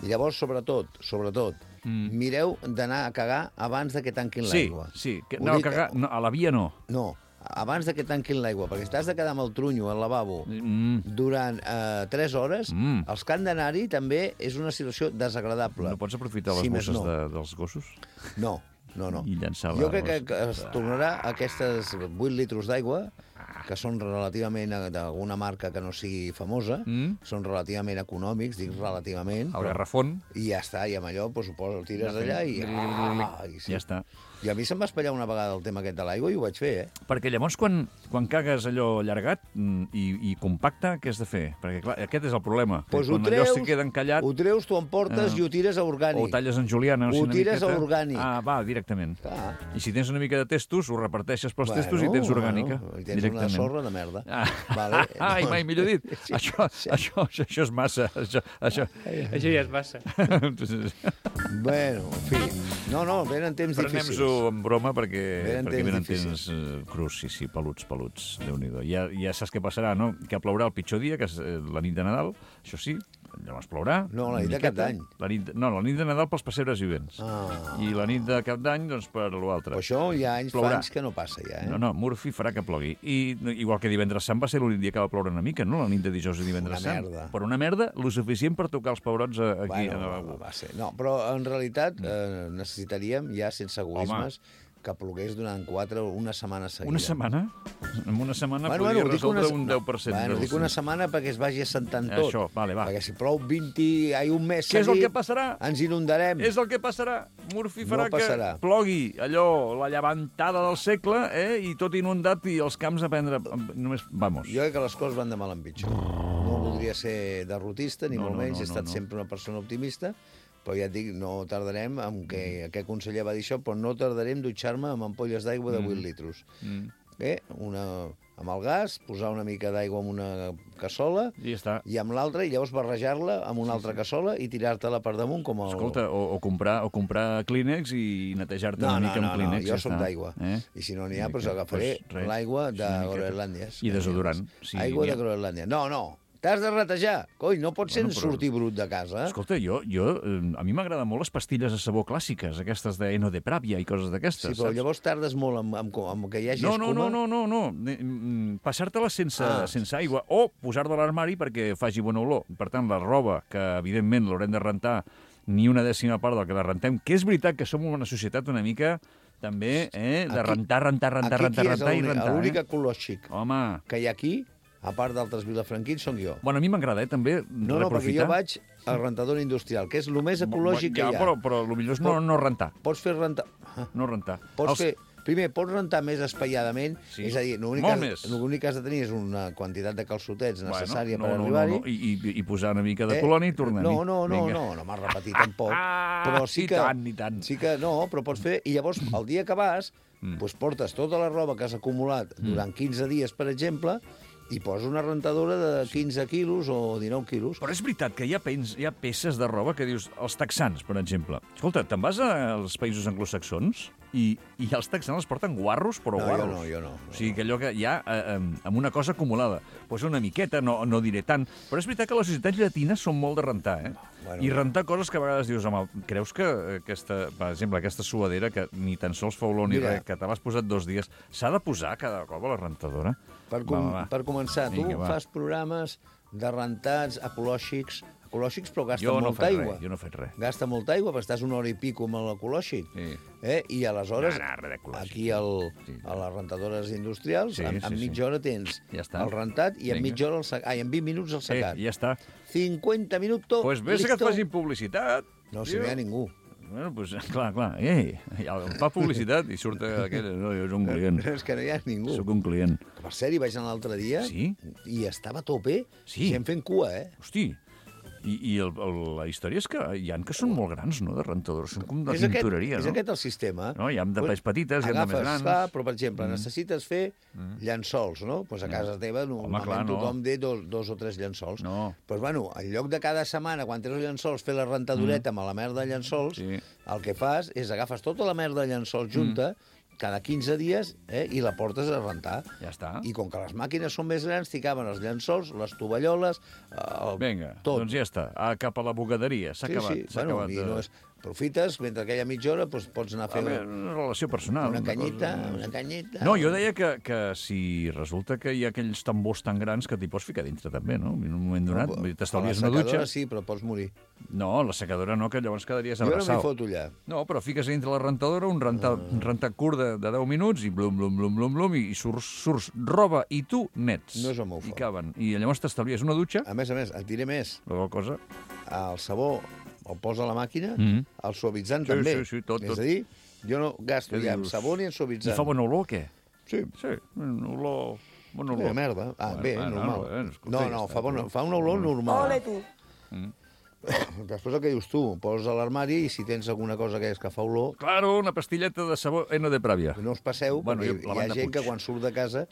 Speaker 6: I llavors, sobretot, sobretot, mm. mireu d'anar a cagar abans de que tanquin
Speaker 4: sí,
Speaker 6: l'aigua.
Speaker 4: sí. Que,
Speaker 6: Ho
Speaker 4: no,
Speaker 6: dic-
Speaker 4: cagar, no, a la via no.
Speaker 6: No, abans de que tanquin l'aigua, perquè si t'has de quedar amb el trunyo al lavabo
Speaker 4: Mm,
Speaker 6: durant eh, tres hores,
Speaker 4: Mm.
Speaker 6: els que han d'anar-hi també és una situació desagradable.
Speaker 4: no pots aprofitar les
Speaker 6: Si més
Speaker 4: bosses
Speaker 6: no.
Speaker 4: de, dels gossos?
Speaker 6: No, no, no.
Speaker 4: I llançar
Speaker 6: Jo
Speaker 4: la-
Speaker 6: crec que, que es tornarà a aquestes vuit litres d'aigua, que són relativament eh, d'alguna marca que no sigui famosa,
Speaker 4: Mm.
Speaker 6: són relativament econòmics, dic relativament,
Speaker 4: El garrafón,
Speaker 6: i ja està, i amb allò pues, ho poses, el tires
Speaker 4: Ja
Speaker 6: allà
Speaker 4: fem.
Speaker 6: i... Ah, i sí.
Speaker 4: ja està.
Speaker 6: I a mi se'm va espatllar una vegada el tema aquest de l'aigua i ho vaig fer, eh?
Speaker 4: Perquè llavors, quan, quan cagues allò allargat mm, i, i compacte, què has de fer? Perquè, clar, aquest és el problema. que
Speaker 6: Pues ho
Speaker 4: quan allò
Speaker 6: treus,
Speaker 4: se queda encallat,
Speaker 6: ho treus, t'ho emportes
Speaker 4: Eh,
Speaker 6: i ho tires a orgànic.
Speaker 4: o ho talles en juliana, o
Speaker 6: Ho
Speaker 4: sigui, una
Speaker 6: tires a
Speaker 4: miqueta.
Speaker 6: orgànic.
Speaker 4: Ah, va, directament.
Speaker 6: Clar.
Speaker 4: I si tens una mica de testos, ho reparteixes pels testos i tens orgànica.
Speaker 6: Bueno, I tens
Speaker 4: directament.
Speaker 6: una sorra de merda.
Speaker 4: Ah,
Speaker 6: Vale.
Speaker 4: Ai, mai millor dit.
Speaker 6: Sí,
Speaker 4: això,
Speaker 6: sí.
Speaker 4: això, això, això és massa. Això, això...
Speaker 7: Això ja és massa.
Speaker 6: Bueno, en fi. No, no, venen temps difícils.
Speaker 4: Prenem-s'ho en broma perquè
Speaker 6: Venen
Speaker 4: perquè
Speaker 6: temps
Speaker 4: venen
Speaker 6: difícils.
Speaker 4: temps eh, crus, sí, sí, peluts, peluts, Déu-n'hi-do. Ja, ja saps què passarà, no? Que plourà el pitjor dia, que és eh, la nit de Nadal, això sí, llavors plourà.
Speaker 6: No, la nit
Speaker 4: una
Speaker 6: de Cap
Speaker 4: miqueta.
Speaker 6: d'Any.
Speaker 4: La nit, no, la nit de Nadal pels pessebres vivents.
Speaker 6: Ah.
Speaker 4: I la nit de Cap d'Any, doncs, per l'altre.
Speaker 6: Però això hi ha anys, fa
Speaker 4: Plourà.
Speaker 6: anys que no passa, ja, eh?
Speaker 4: No, no, Murphy farà que plogui. I igual que divendres sant va ser l'únic dia que va ploure una mica, no? La nit de dijous i divendres
Speaker 6: Una
Speaker 4: sant.
Speaker 6: merda.
Speaker 4: Però una merda, lo suficient per tocar els pebrots a- aquí.
Speaker 6: Bueno,
Speaker 4: a
Speaker 6: va, va ser. No, però en realitat eh, necessitaríem, ja sense egoismes, que plogués durant quatre o una setmana seguida.
Speaker 4: Una setmana? En una setmana
Speaker 6: Bueno,
Speaker 4: podria
Speaker 6: bueno, dic una,
Speaker 4: resoldre un deu per cent.
Speaker 6: bueno,
Speaker 4: dels-
Speaker 6: dic una setmana perquè es vagi assentant tot.
Speaker 4: Això, vale, va.
Speaker 6: Perquè si plou vint, ai, un mes
Speaker 4: Què és el
Speaker 6: seguit,
Speaker 4: que passarà?
Speaker 6: ens inundarem.
Speaker 4: És el que passarà. Murphy
Speaker 6: No
Speaker 4: farà
Speaker 6: passarà.
Speaker 4: que plogui allò, la llevantada del segle, eh? I tot inundat i els camps a prendre... Només, vamos.
Speaker 6: Jo crec que les coses van de mal en pitjor. No voldria ser derrotista, ni
Speaker 4: No,
Speaker 6: molt
Speaker 4: no,
Speaker 6: menys,
Speaker 4: no,
Speaker 6: he estat
Speaker 4: no, no.
Speaker 6: sempre una persona optimista, però ja et dic, no tardarem, en què aquest conseller va dir això, però no tardarem dutxar-me amb ampolles d'aigua de vuit litres.
Speaker 4: Mm.
Speaker 6: Eh? Una, amb el gas, posar una mica d'aigua en una cassola,
Speaker 4: I ja està.
Speaker 6: i amb l'altra, i llavors barrejar-la amb una altra cassola i tirar-te-la per damunt com el...
Speaker 4: Escolta, o, o, comprar, o comprar Kleenex i netejar-te
Speaker 6: No,
Speaker 4: una
Speaker 6: no,
Speaker 4: mica
Speaker 6: no,
Speaker 4: amb
Speaker 6: no,
Speaker 4: Kleenex.
Speaker 6: jo
Speaker 4: ja
Speaker 6: soc
Speaker 4: està.
Speaker 6: d'aigua.
Speaker 4: Eh?
Speaker 6: I si no n'hi ha,
Speaker 4: Una
Speaker 6: doncs
Speaker 4: mica,
Speaker 6: agafaré
Speaker 4: doncs res.
Speaker 6: l'aigua de
Speaker 4: Una miqueta.
Speaker 6: Groenlàndia.
Speaker 4: I desodorant. Sí,
Speaker 6: Aigua
Speaker 4: n'hi
Speaker 6: de
Speaker 4: ha.
Speaker 6: Groenlàndia. No, no, t'has de retejar. Coi, no pots
Speaker 4: Bueno,
Speaker 6: bueno,
Speaker 4: però-
Speaker 6: sortir brut de casa.
Speaker 4: Escolta, jo, jo, eh, a mi m'agraden molt les pastilles de sabó clàssiques, aquestes de Eno de Pravia i coses d'aquestes,
Speaker 6: Sí, però
Speaker 4: saps?
Speaker 6: llavors tardes molt amb, amb, amb que hi hagi
Speaker 4: No, no,
Speaker 6: escuma.
Speaker 4: no, no, no, no. Ne- mm, Passar-te-la sense,
Speaker 6: Ah.
Speaker 4: sense aigua o posar-la a l'armari perquè faci bona olor. Per tant, la roba, que evidentment l'haurem de rentar ni una dècima part del que la rentem, que és veritat que som una societat una mica també eh, de
Speaker 6: Aquí-
Speaker 4: rentar, rentar, rentar,
Speaker 6: Aquí
Speaker 4: rentar,
Speaker 6: qui és
Speaker 4: rentar i
Speaker 6: l'únic-
Speaker 4: rentar.
Speaker 6: l'únic
Speaker 4: Eh?
Speaker 6: ecològic
Speaker 4: Home,
Speaker 6: que hi ha aquí, a part d'altres vilafranquins, som jo.
Speaker 4: bueno, a mi m'agrada, eh, també,
Speaker 6: No, no, perquè
Speaker 4: reprofitar.
Speaker 6: jo vaig al rentador industrial, que és el més ecològic
Speaker 4: ja,
Speaker 6: que hi ha.
Speaker 4: Però, però el millor és no, no rentar,
Speaker 6: Pots fer rentar... Ah,
Speaker 4: no rentar.
Speaker 6: Pots
Speaker 4: Els-
Speaker 6: fer... Primer, pots rentar més espaiadament,
Speaker 4: Sí.
Speaker 6: és a dir, l'únic
Speaker 4: Molt
Speaker 6: que,
Speaker 4: més.
Speaker 6: l'únic que has de tenir és una quantitat de calçotets necessària
Speaker 4: no,
Speaker 6: per
Speaker 4: no,
Speaker 6: arribar-hi.
Speaker 4: No, no. I, i, I posar una mica de colònia i tornem-hi.
Speaker 6: No, no, no,
Speaker 4: Vinga.
Speaker 6: no, no m'has repetit tampoc.
Speaker 4: Ah,
Speaker 6: però sí
Speaker 4: i
Speaker 6: que,
Speaker 4: tant, i tant.
Speaker 6: Sí que no, però pots fer... I llavors, el dia que vas,
Speaker 4: Mm.
Speaker 6: doncs portes tota la roba que has acumulat durant quinze dies, per exemple, i poses una rentadora de quinze quilos o dinou quilos.
Speaker 4: Però és veritat que hi ha, pens, hi ha peces de roba que dius... Els texans, per exemple. Escolta, te'n vas als països anglosaxons i, i els texans els porten guarros, però
Speaker 6: No, jo
Speaker 4: guarros.
Speaker 6: no, jo no, no.
Speaker 4: O sigui, que allò que hi ha eh, amb, amb una cosa acumulada. Pues una miqueta, no, no diré tant. Però és veritat que les societats llatines són molt de rentar, eh?
Speaker 6: Bueno.
Speaker 4: I rentar coses que a vegades dius, home, creus que aquesta, per exemple, aquesta suadera, que ni tan sols fa olor ni
Speaker 6: Mira.
Speaker 4: res, que te l'has posat dos dies, s'ha de posar cada cop a la rentadora?
Speaker 6: Per, com,
Speaker 4: Va, va, va.
Speaker 6: per començar, tu
Speaker 4: Vinga, va.
Speaker 6: fas programes de rentats ecològics, ecològics però gasta
Speaker 4: Jo no
Speaker 6: molta
Speaker 4: faig
Speaker 6: aigua.
Speaker 4: res, jo no faig res.
Speaker 6: Gasta molta aigua, perquè estàs una hora i pico amb l'ecològic.
Speaker 4: Sí.
Speaker 6: Eh? I aleshores,
Speaker 4: No, no, res d'ecològic.
Speaker 6: aquí al,
Speaker 4: Sí.
Speaker 6: a les rentadores industrials,
Speaker 4: Sí,
Speaker 6: en,
Speaker 4: sí,
Speaker 6: en
Speaker 4: sí.
Speaker 6: mitja hora tens
Speaker 4: Ja està.
Speaker 6: el rentat i en
Speaker 4: Vinga.
Speaker 6: mitja hora el secat. Ai, en vint minuts el
Speaker 4: Eh,
Speaker 6: secat.
Speaker 4: ja està.
Speaker 6: cinquanta minuts,
Speaker 4: Doncs pues ves que et
Speaker 6: listo.
Speaker 4: facin publicitat.
Speaker 6: No, si
Speaker 4: tio.
Speaker 6: no hi ha ningú.
Speaker 4: Bueno, doncs, pues, clar, clar. Ei, ja em fa publicitat i surt aquell... No, jo soc un client.
Speaker 6: És que no hi ha ningú.
Speaker 4: Soc un client.
Speaker 6: Que, per cert, hi vaig anar l'altre dia
Speaker 4: Sí?
Speaker 6: i estava a tope.
Speaker 4: Sí.
Speaker 6: Gent fent cua, eh?
Speaker 4: Hosti, i, i el, el, la història és que hi ha que són molt grans, no?, de rentadors. Són com de
Speaker 6: és aquest,
Speaker 4: tintoreria,
Speaker 6: és
Speaker 4: no?
Speaker 6: aquest el sistema.
Speaker 4: No, hi ha de pes petites, hi ha de
Speaker 6: Agafes,
Speaker 4: més grans.
Speaker 6: clar, però, per exemple, necessites fer llençols, no? Pues a casa teva normalment
Speaker 4: clar, no.
Speaker 6: tothom té dos, dos o tres llençols.
Speaker 4: No.
Speaker 6: Pues, bueno, en lloc de cada setmana, quan tens els llençols, fer la rentadoreta amb la merda de llençols,
Speaker 4: Sí.
Speaker 6: el que fas és agafes tota la merda de llençols junta, cada quinze dies, eh, i la portes a rentar.
Speaker 4: Ja està.
Speaker 6: I com que les màquines són més grans, t'hi caben els llençols, les tovalloles, el...
Speaker 4: Vinga,
Speaker 6: tot.
Speaker 4: doncs ja està. Ah, cap a la bugaderia. S'ha
Speaker 6: Sí,
Speaker 4: acabat.
Speaker 6: sí,
Speaker 4: S'ha
Speaker 6: bueno,
Speaker 4: acabat.
Speaker 6: i
Speaker 4: de-
Speaker 6: no és... Aprofites, mentre aquella mitja hora doncs, pots anar a fer
Speaker 4: Home, una relació personal.
Speaker 6: una
Speaker 4: cosa-
Speaker 6: canyita, una canyita...
Speaker 4: No, jo deia que, que si resulta que hi ha aquells tambors tan grans que t'hi pots ficar dintre també, no? En un moment donat, vull dir, t'estalvies
Speaker 6: a
Speaker 4: una
Speaker 6: la
Speaker 4: dutxa.
Speaker 6: secadora sí, però pots morir.
Speaker 4: No, la secadora no, que llavors quedaries
Speaker 6: Jo no m'hi
Speaker 4: abraçat.
Speaker 6: foto allà.
Speaker 4: No, però fiques dintre la rentadora un rentat, un rentat curt de, de deu minuts i blum, blum, blum, blum, blum, i surts, surts roba i tu nets.
Speaker 6: No és el meu
Speaker 4: I
Speaker 6: fort.
Speaker 4: caben. I llavors t'estalvies una dutxa,
Speaker 6: A més a més, et diré més.
Speaker 4: la qual cosa...
Speaker 6: El sabó el posa a la màquina,
Speaker 4: Mhm.
Speaker 6: el suavitzant
Speaker 4: Sí,
Speaker 6: també.
Speaker 4: sí, sí, tot,
Speaker 6: És
Speaker 4: tot.
Speaker 6: a dir, jo no gasto
Speaker 4: Què
Speaker 6: ja en
Speaker 4: dius?
Speaker 6: sabó ni en
Speaker 4: I
Speaker 6: suavitzant.
Speaker 4: fa bona olor o què?
Speaker 6: Sí.
Speaker 4: Sí, una olor... Bona
Speaker 6: Bé,
Speaker 4: olor.
Speaker 6: merda. Ah,
Speaker 4: Bueno,
Speaker 6: bé,
Speaker 4: bueno,
Speaker 6: normal.
Speaker 4: bueno, escolta,
Speaker 6: no,
Speaker 4: ja
Speaker 6: no,
Speaker 4: està,
Speaker 6: fa, bona,
Speaker 4: tio.
Speaker 6: fa una olor normal.
Speaker 7: Ole tu.
Speaker 6: Després el que dius tu, poses a l'armari i si tens alguna cosa que és que fa olor,
Speaker 4: Claro, una pastilleta de sabó N de Pràvia.
Speaker 6: no us passeu,
Speaker 4: Bueno,
Speaker 6: perquè
Speaker 4: jo- la
Speaker 6: hi ha
Speaker 4: banda
Speaker 6: gent
Speaker 4: Puig.
Speaker 6: que quan surt de casa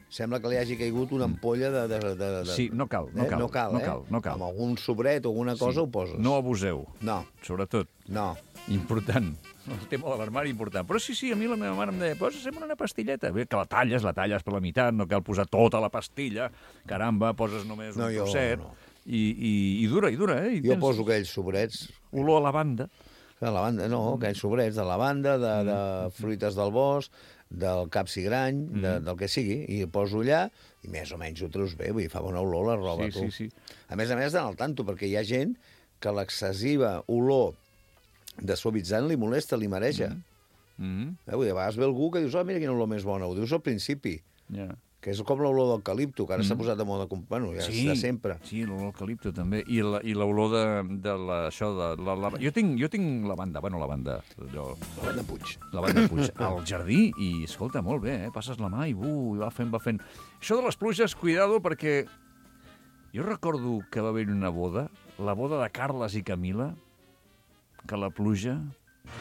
Speaker 6: sembla que li hagi caigut una ampolla de... de, de, de
Speaker 4: Sí, no cal, no
Speaker 6: eh?
Speaker 4: cal,
Speaker 6: no cal,
Speaker 4: no
Speaker 6: eh?
Speaker 4: cal, no cal.
Speaker 6: Amb algun sobret o alguna cosa ho poses.
Speaker 4: No abuseu,
Speaker 6: No,
Speaker 4: sobretot.
Speaker 6: no.
Speaker 4: Important. El tema de l'armari, important. Però sí, sí, a mi la meva mare em deia, posa sempre una pastilleta. Bé, que la talles, la talles per la meitat, no cal posar tota la pastilla. Caramba, poses només
Speaker 6: No,
Speaker 4: un
Speaker 6: jo
Speaker 4: trosset.
Speaker 6: no.
Speaker 4: I, i, I dura, i dura, eh? I
Speaker 6: Jo
Speaker 4: tens
Speaker 6: poso aquells sobrets
Speaker 4: olor a lavanda.
Speaker 6: de lavanda, no, aquells sobrets de lavanda, de, de fruites del bosc, del capsigrany, de, del que sigui, i ho poso allà i més o menys ho treus bé, vull dir, fa bona olor la roba,
Speaker 4: Sí,
Speaker 6: tu.
Speaker 4: sí, sí.
Speaker 6: A més a més, d'anar al tanto, perquè hi ha gent que l'excessiva olor de suavitzant li molesta, li mareja.
Speaker 4: Mm -hmm.
Speaker 6: Eh, vull dir, a vegades ve algú que dius, oh, mira quina olor més bona, ho dius al principi,
Speaker 4: Ja.
Speaker 6: que és com l'olor d'eucalipto, que ara s'ha posat de moda, com, bueno, ja és de sempre.
Speaker 4: Sí, l'olor eucalipto també. I la- i l'olor de, de la, això de la, la, jo tinc jo tinc lavanda, bueno, lavanda, allò,
Speaker 6: Lavanda Puig.
Speaker 4: lavanda Puig, al jardí i, escolta, molt bé, eh? Passes la mà i, uh, i va fent, va fent. Això de les pluges, cuidado, perquè jo recordo que va haver una boda, la boda de Carles i Camila, que la pluja...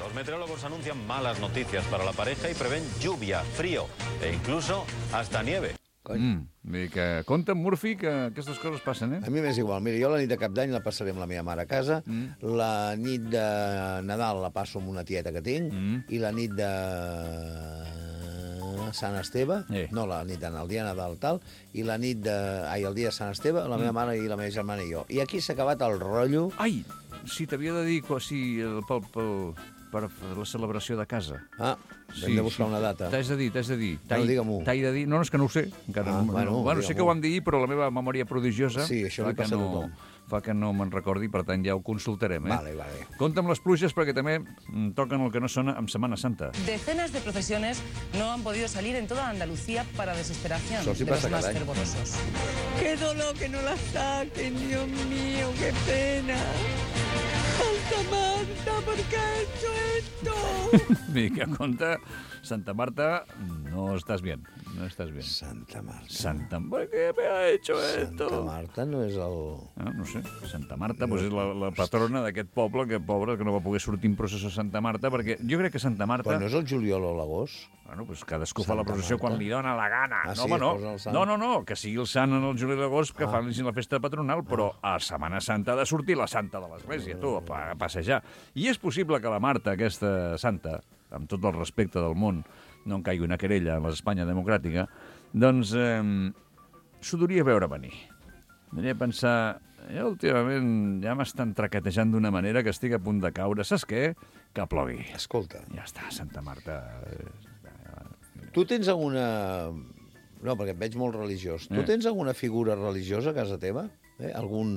Speaker 8: Los meteorólogos anuncian malas noticias para la pareja y prevén lluvia, frío e incluso hasta nieve.
Speaker 6: Cony.
Speaker 4: Mm, vull dir que compta amb Murphy que aquestes coses passen, eh?
Speaker 6: A mi m'és igual. Mira, jo la nit de Cap d'Any la passaré amb la meva mare a casa,
Speaker 4: Mm.
Speaker 6: la nit de Nadal la passo amb una tieta que tinc,
Speaker 4: Mm.
Speaker 6: i la nit de Sant Esteve,
Speaker 4: Eh.
Speaker 6: no, la nit de el dia de Nadal tal, i la nit de... Ai, el dia de Sant Esteve, la meva
Speaker 4: Mm.
Speaker 6: mare i la meva germana i jo. I aquí s'ha acabat el rotllo.
Speaker 4: Ai, si t'havia de dir co- si, el, pel, pel, per la celebració de casa.
Speaker 6: Ah, hem de buscar una data.
Speaker 4: T'has de dir, t'has de dir. T'hai-
Speaker 6: digue-m'ho.
Speaker 4: T'hai de dir... No, no, és que no ho sé. Encara,
Speaker 6: Ah,
Speaker 4: no,
Speaker 6: bueno,
Speaker 4: bueno sé que
Speaker 6: digue-m'ho.
Speaker 4: ho hem de dir, però la meva memòria prodigiosa...
Speaker 6: Sí, això
Speaker 4: clar
Speaker 6: li
Speaker 4: que
Speaker 6: passa a
Speaker 4: no,
Speaker 6: tothom.
Speaker 4: fa que no me'n recordi, per tant ja ho consultarem. Eh?
Speaker 6: Vale, vale.
Speaker 4: Compte amb les pluges perquè també mm, toquen el que no sona amb Setmana Santa.
Speaker 7: Decenas de procesiones no han podido salir en toda Andalucía para desesperación
Speaker 6: Eso sí
Speaker 7: de los
Speaker 6: pasa
Speaker 7: más
Speaker 6: cada año.
Speaker 7: fervorosos.
Speaker 9: Qué dolor que no la saquen, Dios mío, qué pena. Santa Marta, ¿por qué has hecho esto?
Speaker 4: Vinga, compte, Santa Marta, no estàs bien, no estàs bien.
Speaker 6: Santa Marta.
Speaker 4: Santa... ¿Por qué me ha hecho esto?
Speaker 6: Santa Marta no és el...
Speaker 4: Ah, no sé, Santa Marta pues és la, la patrona d'aquest poble, que pobre, que no va poder sortir en processó a Santa Marta, perquè jo crec que Santa Marta...
Speaker 6: Però no és el juliol o l'agost?
Speaker 4: Bueno, pues cadascú fa la
Speaker 6: Santa
Speaker 4: processó
Speaker 6: Marta.
Speaker 4: quan li dona la gana.
Speaker 6: Ah,
Speaker 4: no,
Speaker 6: sí,
Speaker 4: home, no.
Speaker 6: es posa el sant.
Speaker 4: no, no, no, que sigui el sant en el juliol i l'agost, que
Speaker 6: Ah.
Speaker 4: fan la festa patronal, però a Setmana Santa ha de sortir la santa de l'església, tu, a, a passejar. I és possible que la Marta, aquesta santa, amb tot el respecte del món, no en caigui una querella en l'Espanya democràtica, doncs eh, s'ho duria veure venir. Diria pensar, jo últimament ja m'estan traquetejant d'una manera que estic a punt de caure. Saps què? Que plogui.
Speaker 6: Escolta,
Speaker 4: Ja està, Santa Marta.
Speaker 6: tu tens alguna... No, perquè et veig molt religiós. Tu
Speaker 4: Eh.
Speaker 6: tens alguna figura religiosa a casa teva? Eh? Algun,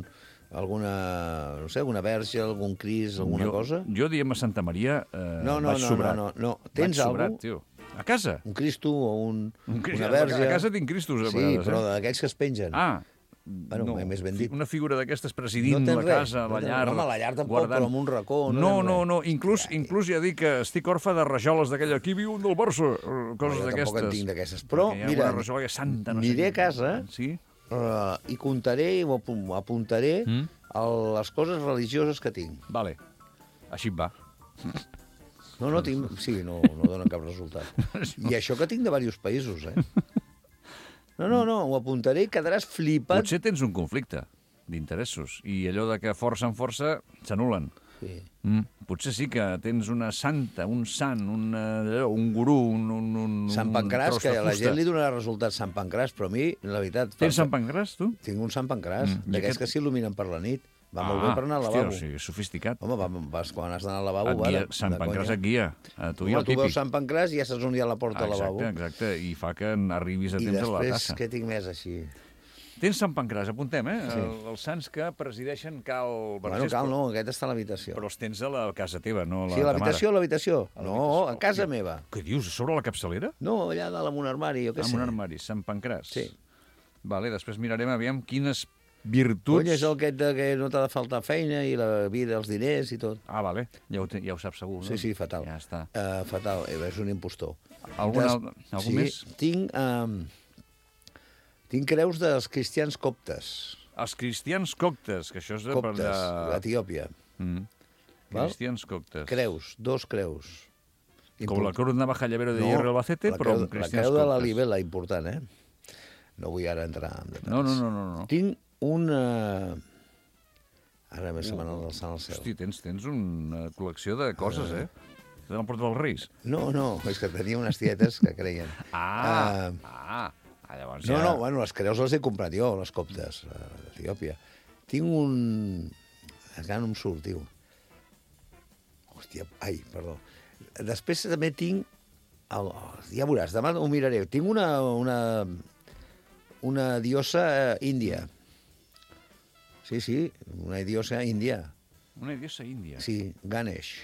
Speaker 6: alguna, no sé, alguna verge, algun cris, alguna
Speaker 4: jo,
Speaker 6: cosa?
Speaker 4: Jo, diem a Santa Maria, eh,
Speaker 6: No, no,
Speaker 4: vaig
Speaker 6: no,
Speaker 4: sobrat.
Speaker 6: no, no, no. Tens
Speaker 4: Vaig sobrat,
Speaker 6: algú?
Speaker 4: tio. A casa?
Speaker 6: Un Cristo o un,
Speaker 4: Un Crist-
Speaker 6: una verge?
Speaker 4: A casa tinc Cristos, a
Speaker 6: Sí,
Speaker 4: vegades,
Speaker 6: però
Speaker 4: eh?
Speaker 6: d'aquells que es pengen.
Speaker 4: Ah,
Speaker 6: Bueno,
Speaker 4: no.
Speaker 6: més ben dit.
Speaker 4: Una figura d'aquestes presidint
Speaker 6: No tens
Speaker 4: la
Speaker 6: res?
Speaker 4: casa,
Speaker 6: No
Speaker 4: la
Speaker 6: tens-
Speaker 4: llar...
Speaker 6: home, la llar tampoc,
Speaker 4: guardant...
Speaker 6: però en un racó, no
Speaker 4: No,
Speaker 6: tens
Speaker 4: no,
Speaker 6: res. no.
Speaker 4: inclús, inclús ja dic que estic orfe de rajoles d'aquella. Aquí viu un del Barça, eh, coses
Speaker 6: jo
Speaker 4: d'aquestes.
Speaker 6: tampoc en tinc d'aquestes. Però,
Speaker 4: Perquè hi ha
Speaker 6: mira,
Speaker 4: una rajola que és santa, no sé
Speaker 6: aniré
Speaker 4: què.
Speaker 6: a casa
Speaker 4: Sí?
Speaker 6: uh, i comptaré i ho apu- apuntaré
Speaker 4: Mm?
Speaker 6: el, les coses religioses que tinc.
Speaker 4: Vale. Així et va.
Speaker 6: No, no tinc... Sí, no, no dona cap resultat. I això que tinc de diversos països, eh? No, no, no, ho apuntaré i quedaràs flipat.
Speaker 4: Potser tens un conflicte d'interessos i allò de que força en força s'anulen.
Speaker 6: Sí.
Speaker 4: Mm, potser sí que tens una santa, un sant, un, allò, un gurú, un, un, un
Speaker 6: Sant
Speaker 4: un
Speaker 6: Pancràs,
Speaker 4: tros
Speaker 6: que
Speaker 4: de
Speaker 6: a la
Speaker 4: fusta.
Speaker 6: gent li donarà resultat Sant Pancràs, però a mi, la veritat...
Speaker 4: Tens
Speaker 6: fa-
Speaker 4: Sant Pancràs, tu?
Speaker 6: Tinc un Sant Pancràs,
Speaker 4: Mm, i
Speaker 6: d'aquests
Speaker 4: aquest-
Speaker 6: que s'il·luminen per la nit. Va molt bé per anar al
Speaker 4: hòstia,
Speaker 6: lavabo.
Speaker 4: o sigui, sofisticat.
Speaker 6: Home, va, vas, quan has d'anar al lavabo,
Speaker 4: Et
Speaker 6: va,
Speaker 4: guia,
Speaker 6: de,
Speaker 4: Sant
Speaker 6: de
Speaker 4: Pancràs
Speaker 6: conya.
Speaker 4: et guia. A tu i
Speaker 6: Home,
Speaker 4: el
Speaker 6: tu
Speaker 4: típic.
Speaker 6: veus Sant Pancràs i ja saps on hi ha la porta
Speaker 4: Ah,
Speaker 6: al lavabo.
Speaker 4: exacte, exacte, i fa que arribis a
Speaker 6: I
Speaker 4: temps a la
Speaker 6: després,
Speaker 4: tassa.
Speaker 6: què tinc més així?
Speaker 4: Tens Sant Pancràs, apuntem, eh?
Speaker 6: Sí.
Speaker 4: El, els sants que presideixen Cal
Speaker 6: Bueno,
Speaker 4: Vergés,
Speaker 6: cal,
Speaker 4: però-
Speaker 6: no, aquest està a l'habitació.
Speaker 4: Però els tens a la casa teva, no a la
Speaker 6: Sí, a
Speaker 4: ta
Speaker 6: l'habitació, a
Speaker 4: mare.
Speaker 6: l'habitació.
Speaker 4: A
Speaker 6: No,
Speaker 4: l'habitació.
Speaker 6: a casa
Speaker 4: Què-
Speaker 6: meva.
Speaker 4: Què dius? A sobre la capçalera?
Speaker 6: No, allà dalt amb un armari, jo què
Speaker 4: Amb
Speaker 6: sé.
Speaker 4: un armari, Sant Pancràs.
Speaker 6: Sí.
Speaker 4: Vale, després mirarem aviam quines virtuts...
Speaker 6: Cony, és el aquest de que no t'ha de faltar feina i la vida, els diners i tot.
Speaker 4: Ah, vale, ja ho, te- ja ho saps segur, no?
Speaker 6: Sí, sí, fatal.
Speaker 4: Ja està.
Speaker 6: Uh, fatal, eh, és un impostor.
Speaker 4: Algun,
Speaker 6: Des-
Speaker 4: al- algun
Speaker 6: sí,
Speaker 4: més?
Speaker 6: Tinc, um, tinc creus dels cristians coptes.
Speaker 4: Els cristians coctes, que això és de per
Speaker 6: Coptes,
Speaker 4: allà...
Speaker 6: d'Etiòpia.
Speaker 4: Mm.
Speaker 6: Val?
Speaker 4: Cristians coctes.
Speaker 6: Creus, dos creus.
Speaker 4: Com la cruz navaja llavero de hierro Albacete,
Speaker 6: la
Speaker 4: però
Speaker 6: creu,
Speaker 4: amb
Speaker 6: la
Speaker 4: cristians
Speaker 6: creu de la
Speaker 4: coptes.
Speaker 6: Libela, important, eh? No vull ara entrar en detalls.
Speaker 4: No, no, no, no. no.
Speaker 6: Tinc una... Ara m'he setmanal del Sant al cel.
Speaker 4: Hosti, tens, tens una col·lecció de coses, eh? Te l'han portat els Reis.
Speaker 6: No, no, és que tenia unes tietes que creien.
Speaker 4: Ah,
Speaker 6: Ah,
Speaker 4: ah. ah llavors
Speaker 6: no,
Speaker 4: ja...
Speaker 6: no, bueno, les creus les he comprat jo, les coptes, a Etiòpia. Tinc un... Encara no em surt, tio. Hòstia, ai, perdó. Després també tinc... El, oh, ja veuràs, demà ho miraré. Tinc una, una, una diosa eh, índia. Sí, sí, una diosa índia.
Speaker 4: Una diosa índia.
Speaker 6: Sí, Ganesh,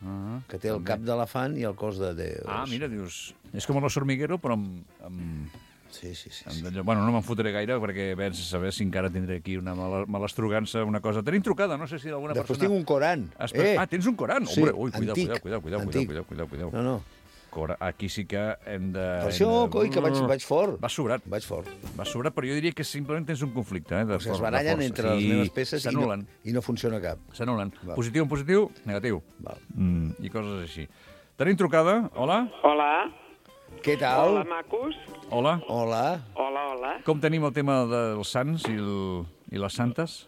Speaker 4: Ah,
Speaker 6: que té el
Speaker 4: també.
Speaker 6: cap d'elefant i el cos de Déu.
Speaker 4: Ah, mira, dius... És com l'os hormiguero, però amb... amb...
Speaker 6: Sí, sí, sí.
Speaker 4: amb
Speaker 6: sí.
Speaker 4: d'allò- Bueno, no me'n fotré gaire, perquè vens a saber si encara tindré aquí una mala, malastrugança, una cosa. Tenim trucada, no sé si d'alguna
Speaker 6: Després
Speaker 4: persona...
Speaker 6: tinc un Coran.
Speaker 4: Espe-
Speaker 6: Eh!
Speaker 4: Ah, tens un Coran?
Speaker 6: Sí,
Speaker 4: Hombre, ui, cuidao,
Speaker 6: antic,
Speaker 4: cuidao, cuidao, cuidao,
Speaker 6: antic.
Speaker 4: cuidao, cuidao, cuidao.
Speaker 6: No, no.
Speaker 4: Cora, aquí sí que hem de...
Speaker 6: Per
Speaker 4: hem
Speaker 6: això,
Speaker 4: de-
Speaker 6: coi, que vaig, vaig fort.
Speaker 4: Va sobrat,
Speaker 6: Vaig fort.
Speaker 4: va sobrat, però jo diria que simplement tens un conflicte, eh? De
Speaker 6: O sigui, es
Speaker 4: for- de
Speaker 6: barallen
Speaker 4: força.
Speaker 6: entre les
Speaker 4: Sí,
Speaker 6: meves peces i no,
Speaker 4: s'anulen.
Speaker 6: i no funciona cap.
Speaker 4: S'anulen.
Speaker 6: Val.
Speaker 4: Positiu en positiu, negatiu.
Speaker 6: Val.
Speaker 4: Mm, I coses així. Tenim trucada. Hola?
Speaker 10: Hola.
Speaker 6: Què tal?
Speaker 10: Hola, macos.
Speaker 4: Hola?
Speaker 6: Hola.
Speaker 10: Hola, hola.
Speaker 4: Com tenim el tema dels sants i, el, i les santes?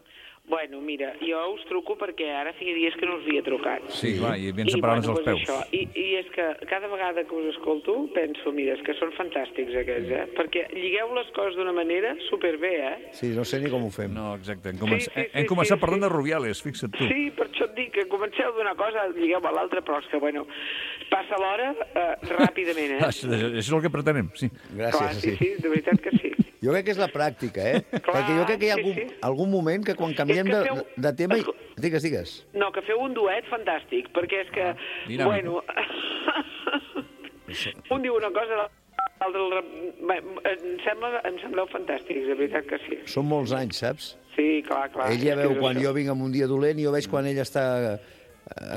Speaker 10: Bueno, mira, jo us truco perquè ara feia dies que no us havia trucat.
Speaker 4: Sí, clar, i ben
Speaker 10: I,
Speaker 4: separant-nos
Speaker 10: bueno,
Speaker 4: els
Speaker 10: pues
Speaker 4: peus.
Speaker 10: Això. I, I és que cada vegada que us escolto penso, mira, és que són fantàstics aquests, eh? Perquè lligueu les coses d'una manera superbé, eh?
Speaker 6: Sí, no sé ni com ho fem.
Speaker 4: No, exacte. Hem, començ...
Speaker 10: Sí, sí, sí,
Speaker 4: hem començat
Speaker 10: sí,
Speaker 4: parlant
Speaker 10: sí.
Speaker 4: de Rubiales, fixa't tu.
Speaker 10: Sí, per això et dic que comenceu d'una cosa, lligueu a l'altra, però és que, bueno, passa l'hora eh, ràpidament, eh?
Speaker 4: Ah, això, això és el que pretenem, sí.
Speaker 10: Clar,
Speaker 6: Gràcies,
Speaker 10: sí, sí, de veritat que sí.
Speaker 6: Jo crec que és la pràctica, eh?
Speaker 10: Clar,
Speaker 6: Perquè jo crec que hi ha algun,
Speaker 10: sí, sí.
Speaker 6: algun moment que quan canviem
Speaker 10: És que
Speaker 6: de,
Speaker 10: feu-
Speaker 6: de tema... I... Digues, digues.
Speaker 10: No, que feu un duet fantàstic, perquè és que,
Speaker 4: dinàmic.
Speaker 10: bueno... un diu una cosa, l'altre... Bé, em, sembla, em sembleu fantàstics, de veritat que sí.
Speaker 6: Són molts anys, saps?
Speaker 10: Sí, clar, clar.
Speaker 6: Ell ja
Speaker 10: és que
Speaker 6: veu
Speaker 10: és
Speaker 6: quan
Speaker 10: això.
Speaker 6: jo vinc amb un dia dolent i jo veig quan ell està eh,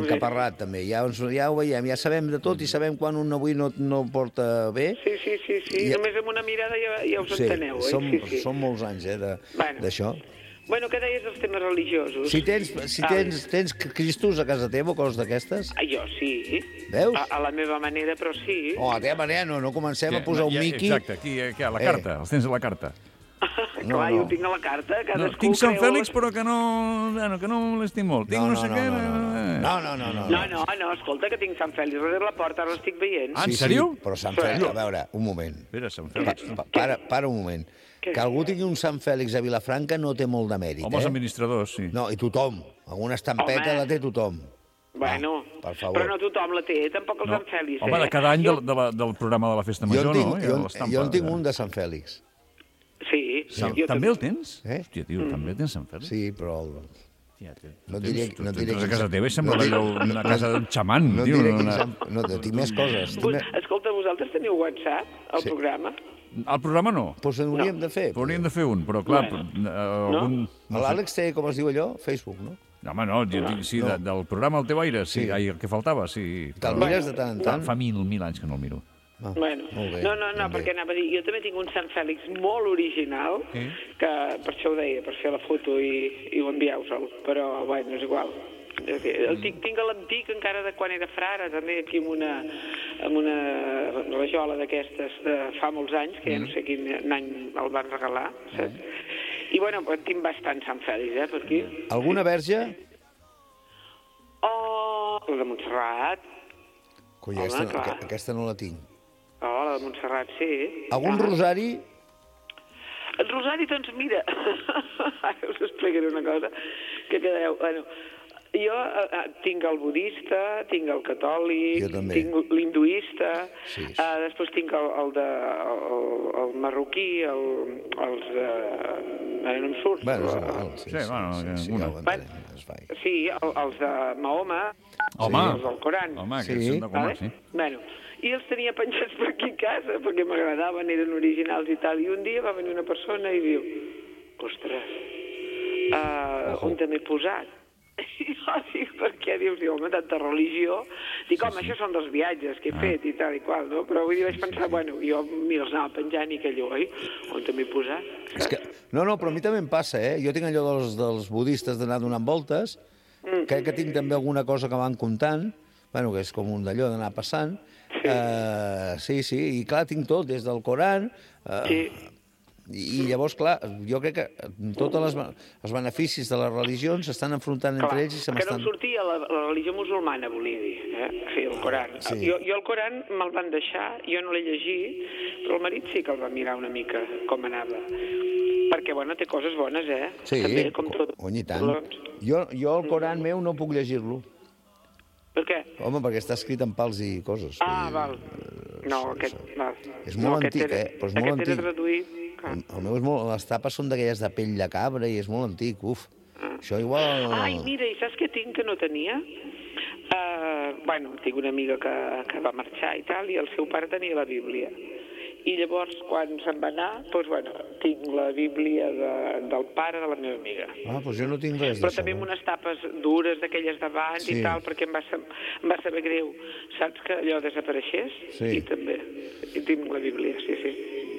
Speaker 6: encaparrat, també. Ja, ens- ja ho veiem, ja sabem de tot i sabem quan un avui no, no porta bé.
Speaker 10: Sí, sí, sí, sí.
Speaker 6: I-
Speaker 10: Només amb una mirada ja, ja us
Speaker 6: Sí,
Speaker 10: enteneu, eh?
Speaker 6: som,
Speaker 10: Sí, sí.
Speaker 6: són molts anys, eh, de-
Speaker 10: Bueno.
Speaker 6: d'això.
Speaker 10: Bueno, què deies dels temes religiosos?
Speaker 6: Si tens, si
Speaker 10: Ah,
Speaker 6: tens, tens cristos a casa teva o coses d'aquestes?
Speaker 10: ah, Jo sí.
Speaker 6: Veus?
Speaker 10: A, a la meva manera, però sí.
Speaker 6: Oh, a la teva manera no, no comencem a
Speaker 4: Ja,
Speaker 6: posar un
Speaker 4: ja,
Speaker 6: Mickey.
Speaker 4: Exacte, aquí, aquí, a la
Speaker 6: Eh.
Speaker 4: carta, els tens a la carta.
Speaker 6: no,
Speaker 10: Clar,
Speaker 6: no.
Speaker 10: jo ho tinc a la carta.
Speaker 4: No,
Speaker 10: Cadascú
Speaker 4: tinc Sant
Speaker 10: creu
Speaker 4: Fèlix,
Speaker 10: les-
Speaker 4: però que no, bueno, que no molesti molt. Tinc
Speaker 6: No,
Speaker 4: no,
Speaker 6: no,
Speaker 4: sé
Speaker 6: no,
Speaker 4: què...
Speaker 6: no, no,
Speaker 4: eh.
Speaker 6: no, no, no, no.
Speaker 10: No, no, no, escolta, que tinc Sant Fèlix darrere la porta, ara l'estic veient.
Speaker 4: Ah, en
Speaker 6: Sí,
Speaker 4: sèrio?
Speaker 6: Sí, però Sant Fèlix, a veure, un moment.
Speaker 4: Espera, Sant
Speaker 6: Pa,
Speaker 4: Fèlix.
Speaker 6: pa, para, para un moment.
Speaker 10: Què?
Speaker 6: Que algú tingui un Sant Fèlix a Vilafranca no té molt de mèrit,
Speaker 4: Home, els
Speaker 6: eh?
Speaker 4: administradors, sí.
Speaker 6: No, i tothom. Alguna estampeta
Speaker 10: Home.
Speaker 6: la té tothom.
Speaker 10: Bueno,
Speaker 6: per favor.
Speaker 10: però no tothom la té, tampoc el
Speaker 4: No.
Speaker 10: Sant Fèlix,
Speaker 4: Home,
Speaker 10: eh?
Speaker 4: de cada any
Speaker 10: Jo-
Speaker 4: del, de la, del programa de la Festa
Speaker 6: Jo
Speaker 4: Major,
Speaker 6: en tinc,
Speaker 4: no? Hi ha
Speaker 6: jo,
Speaker 4: l'estampa,
Speaker 6: jo en tinc
Speaker 4: eh?
Speaker 6: un de Sant Fèlix.
Speaker 10: Sí,
Speaker 4: Sam,
Speaker 10: jo
Speaker 4: també el tens?
Speaker 6: Eh?
Speaker 4: Hòstia, tio, també tens Sant Fèlix?
Speaker 6: Sí, però... el-
Speaker 4: Hòstia, tio.
Speaker 6: No
Speaker 4: Tens-
Speaker 6: diria-
Speaker 4: tu-
Speaker 6: no
Speaker 4: tu
Speaker 6: diria
Speaker 4: entres a
Speaker 6: quin-
Speaker 4: casa teva i sembla
Speaker 6: no
Speaker 4: allò
Speaker 6: diria-
Speaker 4: una casa d'un xaman,
Speaker 6: No
Speaker 4: tio.
Speaker 6: diré
Speaker 4: una-
Speaker 6: quin Sant... No, tinc més coses. Tinc
Speaker 10: Vos-
Speaker 6: més...
Speaker 10: Escolta, vosaltres teniu WhatsApp, al
Speaker 6: Sí.
Speaker 10: programa?
Speaker 4: El programa no.
Speaker 6: Doncs en hauríem de fer.
Speaker 4: Però hauríem de fer un, però clar...
Speaker 10: Bueno.
Speaker 4: eh, algun...
Speaker 6: L'Àlex té, com es diu allò? Facebook, no?
Speaker 4: No, home, no, jo dic, sí,
Speaker 6: No.
Speaker 4: de, del programa El teu aire, sí,
Speaker 6: Sí.
Speaker 4: ai, el que faltava, sí.
Speaker 6: Te'l
Speaker 4: Però-
Speaker 6: mires de tant en
Speaker 4: Fa,
Speaker 6: tant?
Speaker 4: fa mil, mil anys que no el miro.
Speaker 6: Ah,
Speaker 10: Bueno,
Speaker 6: molt bé,
Speaker 10: no, no, no,
Speaker 6: ben bé.
Speaker 10: perquè anava a dir, jo també tinc un Sant Fèlix molt original,
Speaker 4: Sí.
Speaker 10: que per això ho deia, per fer la foto i, i ho envieu-se'l, però, bueno, és igual. És dir, el tinc, tinc l'antic encara de quan era frare, també aquí amb una, amb una rajola d'aquestes de fa molts anys, que ja no sé quin any el van regalar, saps? I, bueno, tinc bastant Sant Fèlix, eh, per aquí.
Speaker 6: Alguna verge?
Speaker 10: Oh, la de Montserrat.
Speaker 6: Coi,
Speaker 10: Home,
Speaker 6: aquesta,
Speaker 10: clar.
Speaker 6: aqu- aquesta no la tinc.
Speaker 10: Oh, la de Montserrat, sí.
Speaker 6: Algun
Speaker 10: Ah.
Speaker 6: rosari?
Speaker 10: El rosari, doncs, mira, ara us explicaré una cosa, que quedeu... Bueno, jo eh, tinc el budista, tinc el catòlic,
Speaker 6: Jo també.
Speaker 10: tinc l'hinduista,
Speaker 6: Sí.
Speaker 10: eh, després tinc el, el, de, el, el marroquí, el, els... Eh, ara no em surt.
Speaker 6: Bueno, és
Speaker 10: eh,
Speaker 6: igual. Sí,
Speaker 4: Sí,
Speaker 6: sí,
Speaker 4: bueno,
Speaker 6: sí, sí,
Speaker 4: una.
Speaker 6: ja ho entenem. Es fa.
Speaker 10: Sí, el, els de Mahoma,
Speaker 4: Home,
Speaker 10: els del Coran.
Speaker 4: home,
Speaker 6: Sí.
Speaker 4: aquests són de coma,
Speaker 10: Vale?
Speaker 4: sí.
Speaker 10: Bueno, i els tenia penjats per aquí a casa perquè m'agradaven, eren originals i tal. I un dia va venir una persona i diu, ostres, uh, on te m'he posat? I jo dic, per què? Dius, diu, home, tanta religió. Dic, home, això són dels viatges que he fet i tal i qual, no? Però vull dir, vaig pensar, bueno, jo m'hi els anava penjant i aquell, oi, on te m'he posat?
Speaker 6: És que, no, no, però a mi també em passa, eh? Jo tinc allò dels, dels budistes d'anar donant voltes, crec que tinc també alguna cosa que van comptant, bueno, que és com un d'allò d'anar passant. Sí. Uh, sí, sí, i clar, tinc tot, des del Coran... Uh,
Speaker 10: Sí.
Speaker 6: I, I llavors, clar, jo crec que tots les, els beneficis de les religions s'estan enfrontant entre ells i se
Speaker 10: que no
Speaker 6: m'estan...
Speaker 10: em sortia la, la religió musulmana, volia dir, eh? Sí, el Coran.
Speaker 6: Sí.
Speaker 10: Jo, jo el Coran me'l van deixar, jo no l'he llegit, però el marit sí que el va mirar una mica com anava. Perquè, bueno, té coses bones, eh?
Speaker 6: Sí,
Speaker 10: També, com tot.
Speaker 6: cony, i tant. Jo, jo el Coran meu no puc llegir-lo.
Speaker 10: Per què?
Speaker 6: Home, perquè està escrit en pals i coses.
Speaker 10: Ah,
Speaker 6: Vull dir,
Speaker 10: val. No, aquest... Val.
Speaker 6: És
Speaker 10: no,
Speaker 6: molt
Speaker 10: aquest
Speaker 6: antic,
Speaker 10: era,
Speaker 6: eh? Però és molt
Speaker 10: aquest
Speaker 6: antic.
Speaker 10: era traduït... clar.
Speaker 6: El, el meu és molt... Les tapes són d'aquelles de pell de cabra i és molt antic, uf. Això igual...
Speaker 10: Ai, mira, i saps què tinc que no tenia? Uh, bueno, tinc una amiga que, que va marxar i tal, i el seu pare tenia la Bíblia. I llavors, quan se'n va anar, doncs, bueno, tinc la Bíblia de, del pare de la meva amiga.
Speaker 6: Ah, doncs jo no tinc res
Speaker 10: Però
Speaker 6: d'això.
Speaker 10: també amb
Speaker 6: no?
Speaker 10: unes tapes dures d'aquelles d'abans
Speaker 6: Sí.
Speaker 10: i tal, perquè em va, sa- em va saber greu, saps, que allò desapareixés?
Speaker 6: Sí.
Speaker 10: I també, i tinc la Bíblia, sí, sí.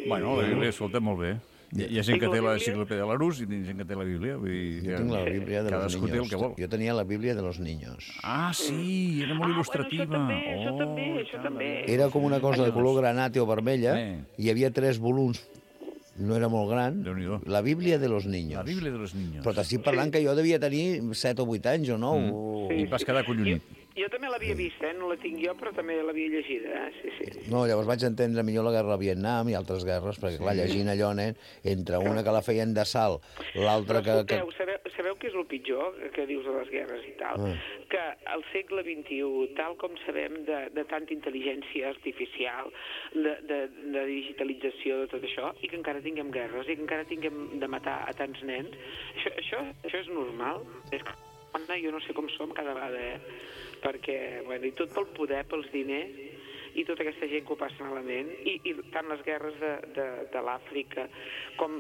Speaker 4: Bueno, la Bíblia, escolta, molt bé. Hi ha, hi ha gent
Speaker 10: Tinc
Speaker 4: que
Speaker 10: la
Speaker 4: té la
Speaker 10: Bíblia.
Speaker 4: enciclopèdia de l'Arús i hi ha gent que té la Bíblia. Vull dir,
Speaker 6: Jo tinc la Bíblia de los
Speaker 4: cadascú té el
Speaker 6: niños.
Speaker 4: que vol.
Speaker 6: Jo tenia la Bíblia de los niños.
Speaker 4: Ah, sí, era molt
Speaker 10: Ah,
Speaker 4: il·lustrativa.
Speaker 10: Bueno, això també, això
Speaker 4: Oh,
Speaker 10: també, això també.
Speaker 6: Era com una cosa de color granate o vermella.
Speaker 4: Eh.
Speaker 6: Hi havia tres volums. No era molt gran.
Speaker 4: Déu-n'hi-do.
Speaker 6: La Bíblia de los niños.
Speaker 4: La Bíblia de los niños.
Speaker 6: Però t'estic parlant que jo devia tenir set o vuit anys o nou.
Speaker 4: I vas quedar collonit.
Speaker 10: Jo, Jo també l'havia vist, eh? No la tinc jo, però també l'havia llegida, eh? Sí, sí.
Speaker 6: No, llavors vaig entendre millor la guerra del Vietnam i altres guerres, perquè, clar, llegint allò, nen, entre una que la feien de salt, l'altra que...
Speaker 10: Però escolteu, sabeu, sabeu què és el pitjor que dius de les guerres i tal?
Speaker 6: Ah.
Speaker 10: Que al segle vint-i-u, tal com sabem de, de tanta intel·ligència artificial, de, de, de digitalització, de tot això, i que encara tinguem guerres, i que encara tinguem de matar a tants nens, això, això, això és normal? És que, jo no sé com som cada vegada, eh? Perquè, bueno, i tot pel poder, pels diners, i tota aquesta gent que ho passa malament, i, i tant les guerres de, de, de l'Àfrica com,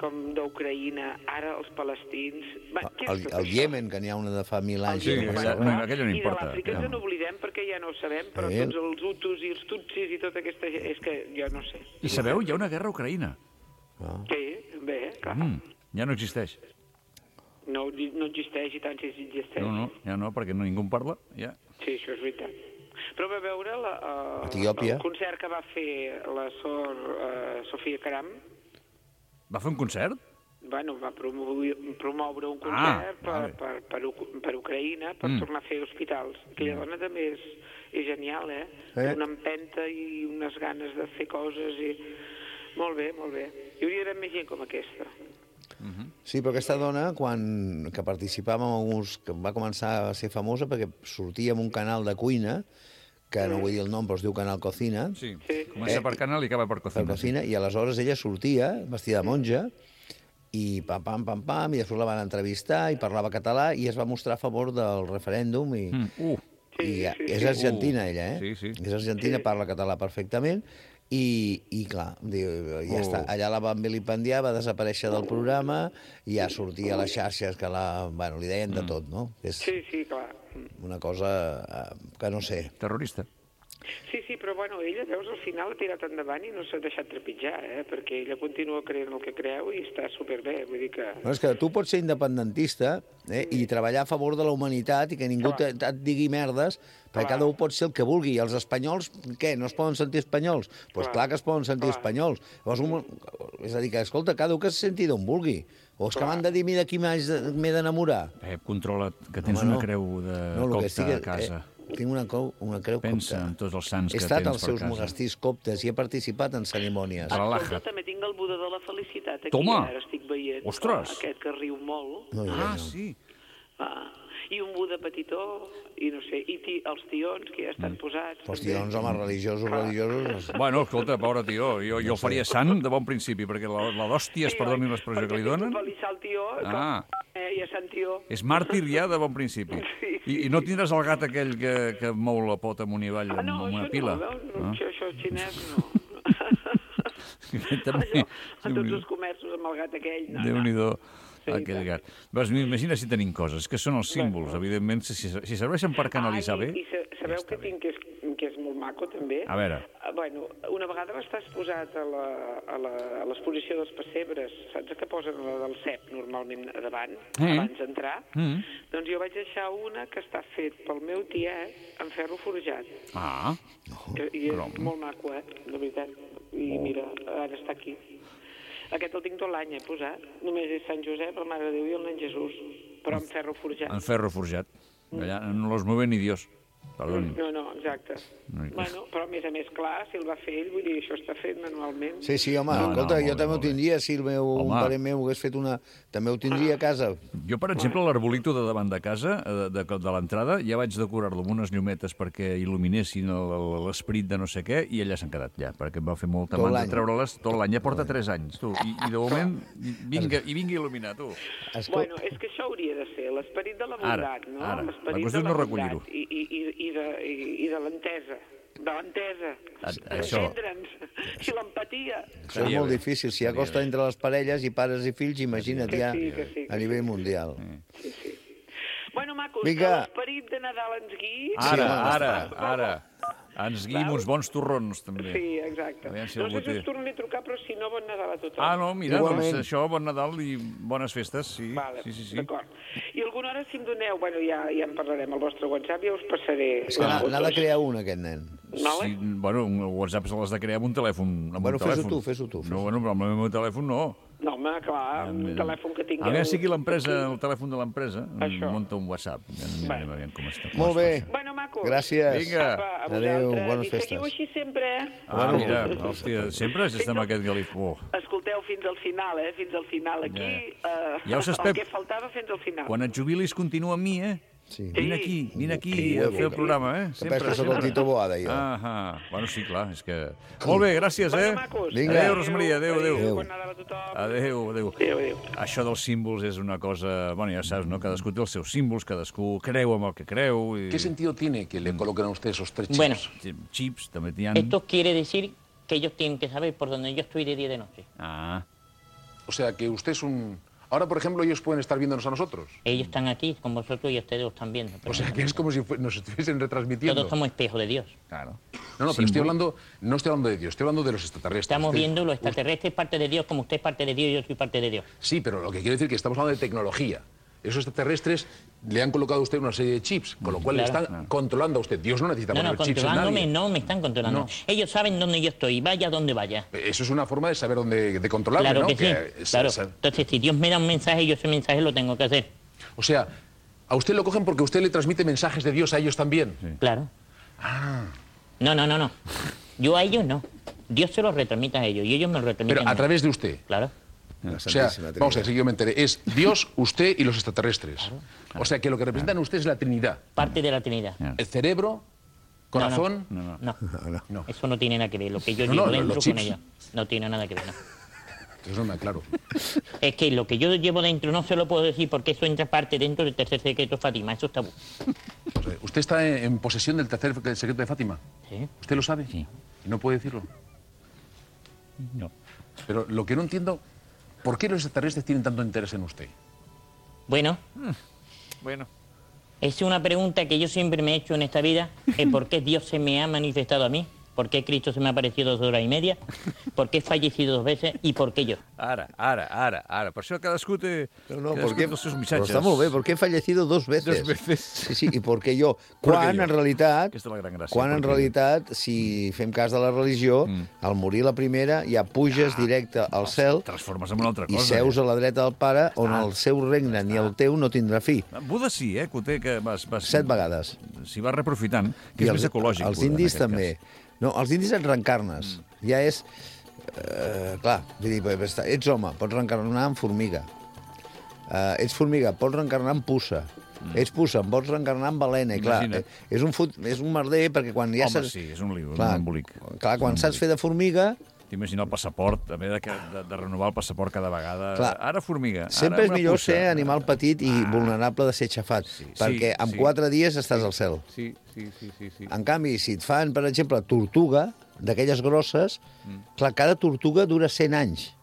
Speaker 10: com d'Ucraïna, ara els palestins... Va, què és
Speaker 6: El,
Speaker 10: tot
Speaker 6: el
Speaker 10: això?
Speaker 6: Iemen, que n'hi ha una de fa mil anys.
Speaker 4: Sí,
Speaker 6: que no
Speaker 4: aquella,
Speaker 6: passa
Speaker 4: no,
Speaker 6: res.
Speaker 4: aquella no
Speaker 10: I de
Speaker 4: importa.
Speaker 10: l'Àfrica
Speaker 4: Ja.
Speaker 10: ens n'oblidem perquè ja no ho sabem, però
Speaker 6: Sí.
Speaker 10: tots els hutus i els tutsis i tota aquesta gent... És que jo no sé.
Speaker 4: I sabeu, hi ha una guerra a Ucraïna.
Speaker 6: Ah.
Speaker 10: Sí, bé, clar.
Speaker 4: Mm, ja no existeix.
Speaker 10: No, no existeix i tant si existeix.
Speaker 4: No, no, ja no, perquè no, ningú en parla. Ja.
Speaker 10: Sí, això és veritat. Però va veure la, uh,
Speaker 6: Etiòpia.
Speaker 10: el concert que va fer la Sor uh, Sofia Caram.
Speaker 4: Va fer un concert?
Speaker 10: Bueno, va promoure, promoure un
Speaker 4: Ah,
Speaker 10: concert per,
Speaker 4: vale.
Speaker 10: per, per, Uc- per Ucraïna per
Speaker 4: Mm.
Speaker 10: tornar a fer hospitals. Aquella dona també és, és genial, eh?
Speaker 6: Eh?
Speaker 10: Una empenta i unes ganes de fer coses i... Molt bé, molt bé. Hi hauria d'haver més gent com aquesta.
Speaker 6: Sí, però aquesta dona, quan que participava en alguns... que va començar a ser famosa perquè sortia en un canal de cuina, que no vull dir el nom, però es diu Canal Cocina,
Speaker 4: Sí.
Speaker 10: Sí.
Speaker 4: Comença
Speaker 6: Eh,
Speaker 4: per canal i acaba per
Speaker 6: per
Speaker 4: cocina.
Speaker 6: cocina, i aleshores ella sortia vestida de monja, i pam, pam, pam, pam, i després la van entrevistar i parlava català i es va mostrar a favor del referèndum i,
Speaker 4: Mm. Uh,
Speaker 6: i
Speaker 10: Sí,
Speaker 6: ja,
Speaker 10: sí,
Speaker 6: és
Speaker 10: sí.
Speaker 6: argentina ella, eh?
Speaker 4: Sí, sí.
Speaker 6: És argentina,
Speaker 10: Sí.
Speaker 6: parla català perfectament i, i clar, diu, ja
Speaker 4: Oh.
Speaker 6: està, allà la van vilipendiar, va desaparèixer del programa i ja sortia a les xarxes que la, bueno, li deien de tot, no? És
Speaker 10: Sí, sí, clar.
Speaker 6: una cosa eh, que no sé.
Speaker 4: terrorista.
Speaker 10: Sí, sí, però bueno, ella, veus, al final ha tirat endavant i no s'ha deixat trepitjar, eh? Perquè ella continua creient el que creu i està superbé, vull dir que...
Speaker 6: No, és que tu pots ser independentista eh, i treballar a favor de la humanitat i que ningú te, et digui merdes, perquè
Speaker 10: Clar.
Speaker 6: cada un pot ser el que vulgui. I els espanyols, què, no es poden sentir espanyols? Doncs pues
Speaker 10: Clar.
Speaker 6: clar que es poden sentir
Speaker 10: Clar.
Speaker 6: espanyols. Llavors, un, és a dir, que, escolta, cada un que se senti d'on vulgui. O és que
Speaker 10: Clar.
Speaker 6: m'han de dir a mi de qui m'haig de- m'he d'enamorar.
Speaker 4: Pep, controla't, que tens
Speaker 6: Home,
Speaker 4: una
Speaker 6: no.
Speaker 4: creu de
Speaker 6: No, el que
Speaker 4: copte
Speaker 6: estic,
Speaker 4: a casa.
Speaker 6: Eh, tinc una, creu, una creu
Speaker 4: Pensa
Speaker 6: copta.
Speaker 4: en tots els sants
Speaker 6: He
Speaker 4: que
Speaker 6: estat
Speaker 4: tens
Speaker 6: als
Speaker 4: per
Speaker 6: seus
Speaker 4: casa.
Speaker 6: monestirs coptes i he participat en cerimònies.
Speaker 4: Relaja't.
Speaker 10: Escolta, també tinc el Buda de la Felicitat aquí,
Speaker 4: Toma!
Speaker 10: ara estic veient.
Speaker 4: Ostres!
Speaker 10: Aquest que riu molt.
Speaker 6: No,
Speaker 4: Ah,
Speaker 6: no.
Speaker 4: sí.
Speaker 10: Ah, I un Buda petitó, i no sé, i ti, els tions que ja estan posats.
Speaker 6: Els
Speaker 10: també.
Speaker 6: tions, home, religiosos, religiosos...
Speaker 4: Bueno, escolta, pobre tió, jo, jo el faria sant de bon principi, perquè la, la d'hòsties,
Speaker 10: Sí,
Speaker 4: perdoni
Speaker 10: oi?
Speaker 4: l'expressió que li
Speaker 10: Perquè
Speaker 4: donen,
Speaker 10: tinc un pelissar al tió,
Speaker 4: Ah.
Speaker 10: que, eh, i a Sant Tió.
Speaker 4: és màrtir ja de bon principi.
Speaker 10: Sí,
Speaker 4: I, I no tindràs el gat aquell que, que mou la pota amunt i avall
Speaker 10: Ah, no,
Speaker 4: amb una
Speaker 10: això
Speaker 4: pila?
Speaker 10: no, veus? No,
Speaker 4: Ah?
Speaker 10: això, això xinès no.
Speaker 4: També,
Speaker 10: Allò, a tots
Speaker 4: Déu-n'hi-do.
Speaker 10: els comerços amb el gat aquell. No, no.
Speaker 4: Déu-n'hi-do,
Speaker 10: Sí,
Speaker 4: aquell
Speaker 10: tant.
Speaker 4: gat. Vas, imagina si tenim coses, que són els símbols, evidentment, si, si serveixen per canalitzar
Speaker 10: ah,
Speaker 4: bé...
Speaker 10: I, i sa- sabeu
Speaker 4: ja està
Speaker 10: que
Speaker 4: bé.
Speaker 10: tinc que és, que és molt maco, també?
Speaker 4: A veure.
Speaker 10: Ah, Bueno, una vegada va estar exposat a la- a la- a l'exposició dels pessebres, saps que posen la del C E P normalment a davant,
Speaker 4: Mm.
Speaker 10: abans d'entrar?
Speaker 4: Mm.
Speaker 10: Doncs jo vaig deixar una que està fet pel meu tiet en ferro forjat.
Speaker 4: Ah,
Speaker 10: Que, I és
Speaker 4: Crom.
Speaker 10: molt maco, eh? De veritat. I mira, ara està aquí. Aquest el tinc tot l'any, he posat. Només és Sant Josep, la Mare de Déu i el nen Jesús. Però en ferro forjat.
Speaker 4: en ferro forjat. Allà no los mueve ni Dios. Perdoni.
Speaker 10: No, no, exacte.
Speaker 4: No hi-
Speaker 10: Bueno, però a més a més, clar, si el va fer ell, vull dir, això està fet manualment.
Speaker 6: Sí, sí, home,
Speaker 4: No,
Speaker 6: no, escolta,
Speaker 4: no,
Speaker 6: no,
Speaker 4: molt
Speaker 6: jo
Speaker 4: bé,
Speaker 6: també ho
Speaker 4: molt bé.
Speaker 6: tindria, si el meu, un
Speaker 4: Home.
Speaker 6: parent meu hagués fet una... També ho tindria a casa.
Speaker 4: Jo, per exemple, l'arbolito de davant de casa, eh, de, de, de l'entrada, ja vaig decorar-lo amb unes llumetes perquè il·luminessin el- el- l'esperit de no sé què, i allà s'han quedat ja, perquè em va fer molta
Speaker 6: Tot
Speaker 4: mandra
Speaker 6: l'any.
Speaker 4: treure-les tot l'any. Ja porta tres anys, tu. I, i de moment, vinga, i vinga il·luminar, tu.
Speaker 6: Escol...
Speaker 10: Bueno, és que això hauria de ser l'esperit de la
Speaker 4: Ara,
Speaker 10: bondat, no?
Speaker 4: ara.
Speaker 10: L'esperit
Speaker 4: La qüestió
Speaker 10: de
Speaker 4: és no
Speaker 10: la
Speaker 4: recollir-ho.
Speaker 10: bondat I, i, i, i, de, i, i de l'entesa. De l'entesa.
Speaker 4: A- això.
Speaker 10: D'entendre'ns. I l'empatia.
Speaker 6: Això és
Speaker 4: Estaria
Speaker 6: molt
Speaker 4: bé.
Speaker 6: difícil. Si hi ha
Speaker 4: Estaria
Speaker 6: costa
Speaker 4: bé.
Speaker 6: entre les parelles i pares i fills, imagina't
Speaker 10: Que
Speaker 6: ja
Speaker 10: sí, que sí, que
Speaker 6: a nivell mundial.
Speaker 10: Sí, sí. Bueno, macos,
Speaker 6: Vinga.
Speaker 10: que l'esperit de Nadal ens guiï.
Speaker 4: Ara,
Speaker 6: home,
Speaker 4: ara, ara. Ens guim uns bons torrons, també.
Speaker 10: Sí, exacte.
Speaker 4: Aviam si
Speaker 10: no
Speaker 4: algú
Speaker 10: sé si
Speaker 4: té.
Speaker 10: us tornaré a trucar, però si no, bon Nadal a tothom.
Speaker 4: Ah, no, mira,
Speaker 6: Igualment.
Speaker 4: doncs això, bon Nadal i bones festes, sí.
Speaker 10: Vale,
Speaker 4: Sí, sí, sí.
Speaker 10: d'acord. I alguna hora, si em doneu, bueno, ja, ja en parlarem al vostre WhatsApp, ja us passaré...
Speaker 6: És que n'ha n'ha de crear un, aquest nen.
Speaker 10: Vale?
Speaker 4: Sí, bueno, un WhatsApp se l'has de crear amb un telèfon. Amb
Speaker 6: Bueno,
Speaker 4: un
Speaker 6: fes-ho
Speaker 4: telèfon.
Speaker 6: tu, fes-ho tu, fes-ho.
Speaker 4: No, bueno, però amb el meu telèfon no.
Speaker 10: No, home, clar, un telèfon que tingueu...
Speaker 4: A veure si aquí l'empresa, el telèfon de l'empresa,
Speaker 10: Això.
Speaker 4: munta un WhatsApp. Anem a veure com està. com
Speaker 6: Molt
Speaker 4: es
Speaker 6: bé.
Speaker 4: fa això.
Speaker 10: Bueno, macos.
Speaker 6: Gràcies.
Speaker 4: Vinga.
Speaker 10: Apa, a
Speaker 6: Adéu,
Speaker 10: vosaltres.
Speaker 6: bones
Speaker 10: I
Speaker 6: festes.
Speaker 10: seguiu així sempre, eh?
Speaker 4: Ah, mira, hòstia, sempre has estat amb aquest galif... Oh.
Speaker 10: Escolteu fins al final, eh? Fins al final. Aquí,
Speaker 4: Ja.
Speaker 10: eh,
Speaker 4: Ja ho saps,
Speaker 10: el
Speaker 4: Pep.
Speaker 10: que faltava fins al final.
Speaker 4: Quan et jubilis, continua amb mi, eh?
Speaker 6: Sí.
Speaker 4: Vine aquí, vine aquí
Speaker 6: Sí,
Speaker 4: a
Speaker 6: sí,
Speaker 4: fer el
Speaker 6: sí.
Speaker 4: programa, eh?
Speaker 6: Que penso que sóc el Tito Boada, jo.
Speaker 4: Ah, bueno, sí, clar, és que... Molt bé, gràcies, eh?
Speaker 10: Bueno, macos.
Speaker 6: Vinga.
Speaker 4: Adéu, Rosmaria, adéu, adéu.
Speaker 10: Adéu, bona tarda a tothom.
Speaker 4: Adéu, adéu.
Speaker 10: Adéu, adéu.
Speaker 4: Això dels símbols és una cosa... Bueno, ja saps, no? Cadascú té els seus símbols, cadascú creu amb el que creu... I...
Speaker 11: ¿Qué sentido tiene que le coloquen a usted esos tres chips?
Speaker 12: Bueno,
Speaker 4: Chips, també t'hi han...
Speaker 12: esto quiere decir que ellos tienen que saber por dónde yo estoy de día y de noche.
Speaker 4: Ah,
Speaker 11: O sea, que usted es un... Ahora, por ejemplo, ellos pueden estar viéndonos a nosotros.
Speaker 12: Ellos están aquí con vosotros y ustedes lo están viendo.
Speaker 11: O sea, que es como si fue- nos estuviesen retransmitiendo.
Speaker 12: Todos somos espejos de Dios.
Speaker 4: claro.
Speaker 11: No, no, pero estoy hablando, no estoy hablando de Dios, estoy hablando de los extraterrestres.
Speaker 12: Estamos
Speaker 11: Usted-
Speaker 12: viendo los extraterrestres parte de Dios, como usted es parte de Dios y yo soy parte de Dios.
Speaker 11: Sí, pero lo que quiero decir es que estamos hablando de tecnología. Esos extraterrestres le han colocado a usted una serie de chips, con lo cual le
Speaker 12: Claro.
Speaker 11: están controlando a usted. Dios no necesita
Speaker 12: No, no,
Speaker 11: poner chips en
Speaker 12: controlándome
Speaker 11: nadie.
Speaker 12: no me están controlando.
Speaker 11: No.
Speaker 12: Ellos saben dónde yo estoy, vaya donde vaya.
Speaker 11: Eso es una forma de saber dónde, de controlarme,
Speaker 12: Claro
Speaker 11: ¿no?
Speaker 12: que sí,
Speaker 11: es-
Speaker 12: claro.
Speaker 11: es-
Speaker 12: Entonces, si Dios me da un mensaje, yo ese mensaje lo tengo que hacer.
Speaker 11: O sea, a usted lo cogen porque usted le transmite mensajes de Dios a ellos también.
Speaker 12: Claro.
Speaker 11: Ah.
Speaker 12: No, no, no, no. Yo a ellos no. Dios se los retransmite a ellos y ellos me lo retransmiten
Speaker 11: Pero a
Speaker 12: mí.
Speaker 11: través de usted.
Speaker 12: Claro.
Speaker 6: La
Speaker 11: O sea,
Speaker 6: Santísima Trinidad.
Speaker 11: vamos a ver si yo me enteré. Es Dios, usted y los extraterrestres. O sea, que lo que representan usted es la Trinidad.
Speaker 12: Parte de la Trinidad.
Speaker 11: El cerebro, corazón...
Speaker 4: No, no.
Speaker 12: No,
Speaker 11: no. no.
Speaker 12: eso no tiene nada que ver. Lo que yo
Speaker 11: No,
Speaker 12: llevo
Speaker 11: no,
Speaker 12: dentro
Speaker 11: los
Speaker 12: con
Speaker 11: chips.
Speaker 12: ellos no tiene nada que ver. No.
Speaker 11: Eso no me aclaro.
Speaker 12: Es que lo que yo llevo dentro no se lo puedo decir porque eso entra parte dentro del tercer secreto de Fátima. Eso está...
Speaker 11: O sea, ¿usted está en, en posesión del tercer secreto de Fátima?
Speaker 12: ¿Sí?
Speaker 11: ¿Usted lo sabe?
Speaker 12: Sí.
Speaker 11: ¿Y no puede decirlo?
Speaker 4: No.
Speaker 11: Pero lo que no entiendo, ¿por qué los extraterrestres tienen tanto interés en usted?
Speaker 12: Bueno,
Speaker 4: Bueno.
Speaker 12: es una pregunta que yo siempre me he hecho en esta vida. Es por qué Dios se me ha manifestado a mí. ¿Por qué Cristo se me ha aparecido dos horas y media? ¿Por qué he fallecido dos veces? ¿Y por qué yo?
Speaker 4: Ara, ara, ara, ara. Per això cadascú té,
Speaker 6: No, no,
Speaker 4: cadascú
Speaker 6: porque,
Speaker 4: té els seus
Speaker 6: pero
Speaker 4: missatges.
Speaker 6: está muy bien, porque he fallecido dos veces.
Speaker 4: Dos veces.
Speaker 6: Sí, sí, i perquè jo.
Speaker 4: Perquè
Speaker 6: Quan,
Speaker 4: jo.
Speaker 6: en realitat,
Speaker 4: Aquesta és la gran gràcia.
Speaker 6: quan en
Speaker 4: perquè-
Speaker 6: realitat, si fem cas de la religió,
Speaker 4: Mm.
Speaker 6: al morir la primera ja puges directe al cel
Speaker 4: Transformes en una altra
Speaker 6: i
Speaker 4: cosa.
Speaker 6: seus a la dreta del pare, on el seu regne ni el teu no tindrà fi.
Speaker 4: Eh? Buda sí, eh, que ho té, que vas... vas
Speaker 6: Set vegades.
Speaker 4: S'hi va reprofitant, que és
Speaker 6: els,
Speaker 4: més ecològic.
Speaker 6: els
Speaker 4: Buda, en
Speaker 6: indis
Speaker 4: aquest
Speaker 6: també.
Speaker 4: cas.
Speaker 6: No, els indis et reencarnes. Mm. Ja és... Eh, clar, vull dir, ets home, pots reencarnar en formiga. Eh, ets formiga, pots reencarnar en puça. Mm. Ets puça, em pots reencarnar en balena. I clar,
Speaker 4: Imagina't.
Speaker 6: eh, és un, fut, és un merder perquè quan ja
Speaker 4: Home,
Speaker 6: saps...
Speaker 4: sí, és un lío,
Speaker 6: clar,
Speaker 4: un embolic.
Speaker 6: Clar, quan saps fer de formiga,
Speaker 4: T'imagina el passaport, haver de, de, de renovar el passaport cada vegada.
Speaker 6: Clar.
Speaker 4: Ara formiga,
Speaker 6: sempre
Speaker 4: ara
Speaker 6: és
Speaker 4: una
Speaker 6: millor
Speaker 4: puça.
Speaker 6: ser animal petit i vulnerable de ser xafat,
Speaker 4: sí,
Speaker 6: perquè en
Speaker 4: sí.
Speaker 6: quatre dies estàs al cel.
Speaker 4: Sí, sí, sí, sí, sí.
Speaker 6: En canvi, si et fan, per exemple, tortuga, d'aquelles grosses, mm. clar, cada tortuga dura cent anys.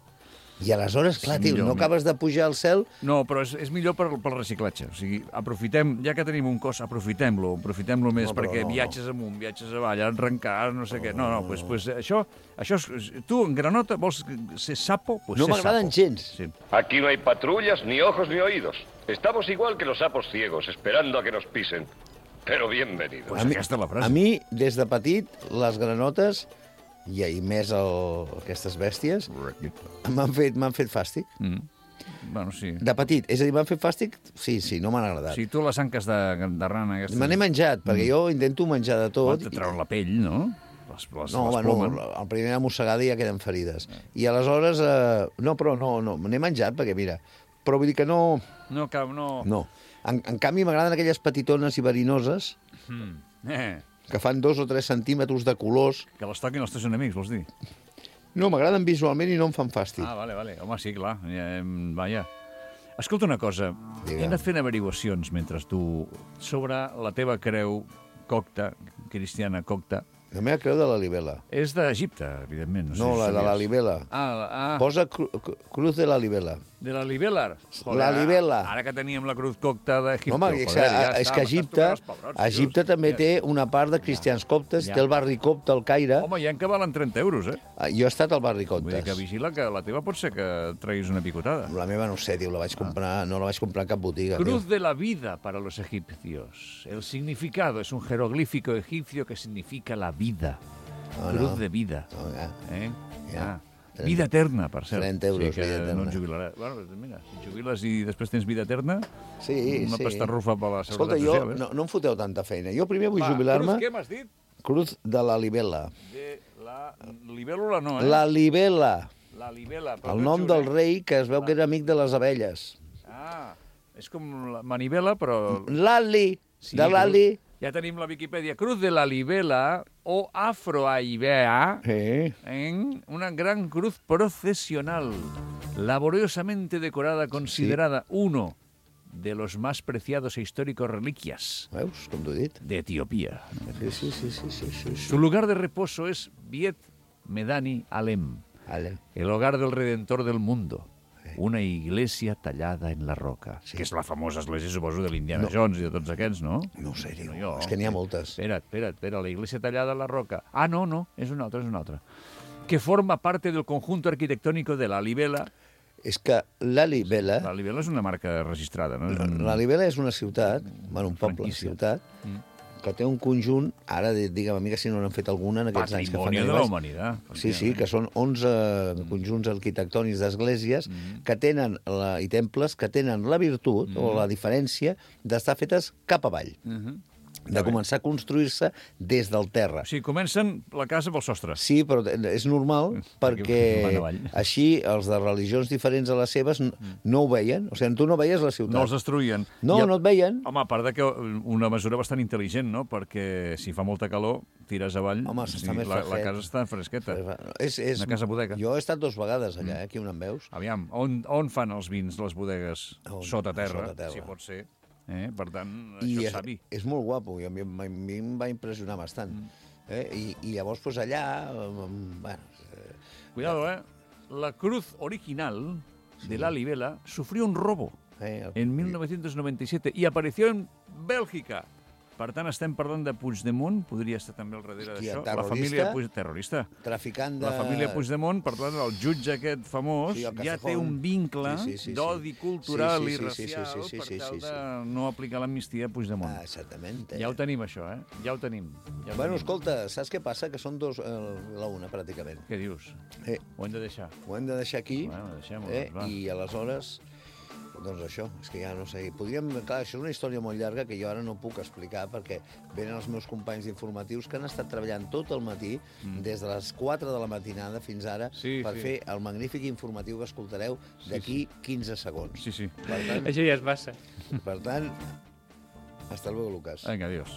Speaker 6: I aleshores, clar,
Speaker 4: Sí,
Speaker 6: tio,
Speaker 4: millor,
Speaker 6: no
Speaker 4: millor.
Speaker 6: acabes de pujar al cel.
Speaker 4: No, però és, és millor per, pel reciclatge. O sigui, aprofitem, ja que tenim un cos, aprofitem-lo, aprofitem-lo més,
Speaker 6: No, però
Speaker 4: perquè
Speaker 6: no, no.
Speaker 4: viatges amunt, viatges avall, arrencar, no sé què. No, no, pues, pues això, això és, tu en granota vols ser sapo? Pues
Speaker 6: No
Speaker 4: ser
Speaker 6: m'agraden
Speaker 4: sapo.
Speaker 6: gens.
Speaker 4: Sí.
Speaker 13: Aquí no hay patrullas, ni ojos, ni oídos. Estamos igual que los sapos ciegos, esperando a que nos pisen. Pero bienvenidos.
Speaker 4: Pues aquesta és la frase.
Speaker 6: A mi, des de petit, les granotes, i, i més el, aquestes bèsties, m'han fet, m'han fet fàstic.
Speaker 4: Mm. Bueno, sí.
Speaker 6: De petit. És a dir, m'han fet fàstic? Sí, sí, no m'han agradat.
Speaker 4: Sí, tu les anques de, de rana aquestes...
Speaker 6: Me n'he menjat, perquè jo intento menjar de tot.
Speaker 4: Te treuen la pell, no? Les, les,
Speaker 6: No,
Speaker 4: les
Speaker 6: bueno,
Speaker 4: plomen.
Speaker 6: el primera mossegada ja queden ferides. I aleshores, eh, no, però no, no, me n'he menjat, perquè mira, però vull dir que no...
Speaker 4: No, cap, no...
Speaker 6: No. En, en canvi, m'agraden aquelles petitones i verinoses
Speaker 4: Mm. Eh,
Speaker 6: que fan dos o tres centímetres de colors.
Speaker 4: que les toquin els teus enemics, vols dir?
Speaker 6: No, m'agraden visualment i no em fan fàstic.
Speaker 4: Ah, vale, vale. Home, sí, clar. Ja, em, vaja. Escolta una cosa.
Speaker 6: Digue.
Speaker 4: He anat fent averiguacions mentre tu sobre la teva creu cocta, cristiana cocta.
Speaker 6: La meva creu de la libela.
Speaker 4: És d'Egipte, evidentment.
Speaker 6: No, la de la libela.
Speaker 4: Ah, ah.
Speaker 6: Posa cru, cru- cruz de la libela.
Speaker 4: De la libela.
Speaker 6: La libela.
Speaker 4: Ara que teníem la cruz cocta d'Egipte.
Speaker 6: Home, és, que, és que Egipte, Egipte també té una part de cristians coptes,
Speaker 4: Ja.
Speaker 6: té el barri copte al Caire.
Speaker 4: Home, hi ha que valen trenta euros, eh?
Speaker 6: Ah, Jo he estat al barri
Speaker 4: Vull dir que
Speaker 6: coptes.
Speaker 4: vigila que la teva pot ser que et treguis una picotada.
Speaker 6: La meva no ho sé, tio, la vaig comprar, no la vaig comprar a cap botiga.
Speaker 4: Cruz
Speaker 6: tio.
Speaker 4: de la vida para los egipcios. El significado es un jeroglífico egipcio que significa la vida.
Speaker 6: No,
Speaker 4: Cruz
Speaker 6: no.
Speaker 4: de vida.
Speaker 6: No, ja.
Speaker 4: Eh?
Speaker 6: Ja.
Speaker 4: Ah. Vida eterna, per cert.
Speaker 6: trenta euros,
Speaker 4: sí, que
Speaker 6: vida eterna.
Speaker 4: no et jubilaràs. Bueno, mira, si et jubiles i després tens vida eterna,
Speaker 6: Sí,
Speaker 4: una
Speaker 6: sí.
Speaker 4: pastarrufa per la
Speaker 6: Escolta,
Speaker 4: seguretat
Speaker 6: jo,
Speaker 4: social. eh?
Speaker 6: no, no em foteu tanta feina. Jo primer vull
Speaker 4: Va,
Speaker 6: jubilar-me...
Speaker 4: Cruz, què m'has dit?
Speaker 6: Cruz de la Libela.
Speaker 4: De la libèl·lula no, eh?
Speaker 6: La Libela.
Speaker 4: La libèl·la. però
Speaker 6: El
Speaker 4: no
Speaker 6: nom
Speaker 4: ets
Speaker 6: del
Speaker 4: un-
Speaker 6: rei, que es veu que era amic de les abelles.
Speaker 4: Ah, és com la manivela, però...
Speaker 6: Lali,
Speaker 4: Sí,
Speaker 6: de Lali.
Speaker 4: Ja tenim la Viquipèdia. Cruz de la Libela o Afroaibea
Speaker 6: Sí.
Speaker 4: en una gran cruz procesional, laboriosamente decorada, considerada uno de los más preciados e históricos reliquias
Speaker 6: Veus, com t'ho he dit?
Speaker 4: de Etiopía.
Speaker 6: Sí, sí, sí, sí, sí, sí, sí.
Speaker 4: Su lugar de reposo es Viet Medani Alem,
Speaker 6: Ale.
Speaker 4: el hogar del Redentor del mundo. Una iglesia tallada en la roca, sí. que és la famosa església, suposo, de l'Indiana
Speaker 6: No.
Speaker 4: Jones i de tots aquests, no?
Speaker 6: No ho sé, diu.
Speaker 4: jo.
Speaker 6: És que n'hi ha moltes.
Speaker 4: Espera't, espera't, espera't, la iglesia tallada en la roca. Ah, no, no, és una altra, és una altra. Que forma parte del conjunto arquitectónico de la Libela.
Speaker 6: És que la Libela...
Speaker 4: La Libela és una marca registrada, no? És un...
Speaker 6: La Libela és una ciutat, bueno, un poble,
Speaker 4: Franquícia.
Speaker 6: ciutat, que té un conjunt, ara di- digue'm a mi que si no n'han fet alguna en aquests anys que fan
Speaker 4: Patrimoni de la
Speaker 6: arribats.
Speaker 4: humanitat.
Speaker 6: Sí, sí, que són onze conjunts arquitectònics d'esglésies que tenen la, i temples que tenen la virtut o la diferència d'estar fetes cap avall,
Speaker 4: Mhm.
Speaker 6: de començar a construir-se des del terra.
Speaker 4: O sigui, comencen la casa pel sostre.
Speaker 6: Sí, però és normal perquè
Speaker 4: van avall.
Speaker 6: així els de religions diferents a les seves n- no ho veien. O sigui, tu no veies la ciutat.
Speaker 4: No els destruïen.
Speaker 6: No,
Speaker 4: I a-
Speaker 6: no et veien.
Speaker 4: Home, a part de que una mesura bastant intel·ligent, no? Perquè si fa molta calor, tires avall,
Speaker 6: Home,
Speaker 4: o
Speaker 6: s'està
Speaker 4: sigui,
Speaker 6: més
Speaker 4: la, la
Speaker 6: fresquet.
Speaker 4: casa està fresqueta.
Speaker 6: És, és...
Speaker 4: Una casa bodega.
Speaker 6: Jo he estat dues vegades allà, eh, aquí on em veus.
Speaker 4: Aviam, on, on fan els vins, les bodegues?
Speaker 6: On?
Speaker 4: Sota terra,
Speaker 6: Sota terra.
Speaker 4: si pot ser. Eh? Per tant,
Speaker 6: I
Speaker 4: això
Speaker 6: és,
Speaker 4: és savi.
Speaker 6: és molt guapo, i a mi, a mi em va impressionar bastant.
Speaker 4: Mm.
Speaker 6: Eh? I, I llavors, pues, allà... eh, Bueno, eh,
Speaker 4: Cuidado, eh? La cruz original de la Libela sufrió un robo
Speaker 6: eh,
Speaker 4: en mil novecientos noventa y siete y apareció en Bèlgica. Per tant, estem parlant de Puigdemont, podria estar també al darrere
Speaker 6: Hòstia,
Speaker 4: d'això. La
Speaker 6: terrorista.
Speaker 4: família Puig... terrorista.
Speaker 6: traficant de...
Speaker 4: La família Puigdemont, per tant, el jutge aquest famós,
Speaker 6: Sí, el
Speaker 4: ja té
Speaker 6: Castejón.
Speaker 4: un vincle
Speaker 6: Sí, sí, sí, sí.
Speaker 4: d'odi cultural
Speaker 6: Sí, sí,
Speaker 4: i
Speaker 6: sí,
Speaker 4: racial
Speaker 6: sí, sí, sí,
Speaker 4: per
Speaker 6: sí,
Speaker 4: tal
Speaker 6: sí, sí.
Speaker 4: de no aplicar l'amnistia a Puigdemont.
Speaker 6: Ah, exactament.
Speaker 4: Ja ho tenim, això, eh? Ja ho tenim. Ja ho
Speaker 6: Bueno,
Speaker 4: tenim.
Speaker 6: escolta, saps què passa? Que són dos, eh, la una, pràcticament.
Speaker 4: Què dius?
Speaker 6: Eh,
Speaker 4: Ho hem de deixar.
Speaker 6: ho hem de deixar aquí,
Speaker 4: Bueno, deixem-ho,
Speaker 6: eh,
Speaker 4: va.
Speaker 6: i aleshores... Doncs això, és que ja no sé... Podríem... Clar, això és una història molt llarga que jo ara no puc explicar perquè venen els meus companys informatius que han estat treballant tot el matí, mm. des de les quatre de la matinada fins ara,
Speaker 4: Sí,
Speaker 6: per
Speaker 4: sí.
Speaker 6: fer el magnífic informatiu que escoltareu d'aquí quinze segons.
Speaker 4: Sí, sí.
Speaker 6: Per tant,
Speaker 14: Això ja es passa.
Speaker 6: per tant, hasta luego, Lucas.
Speaker 4: Vinga, adiós.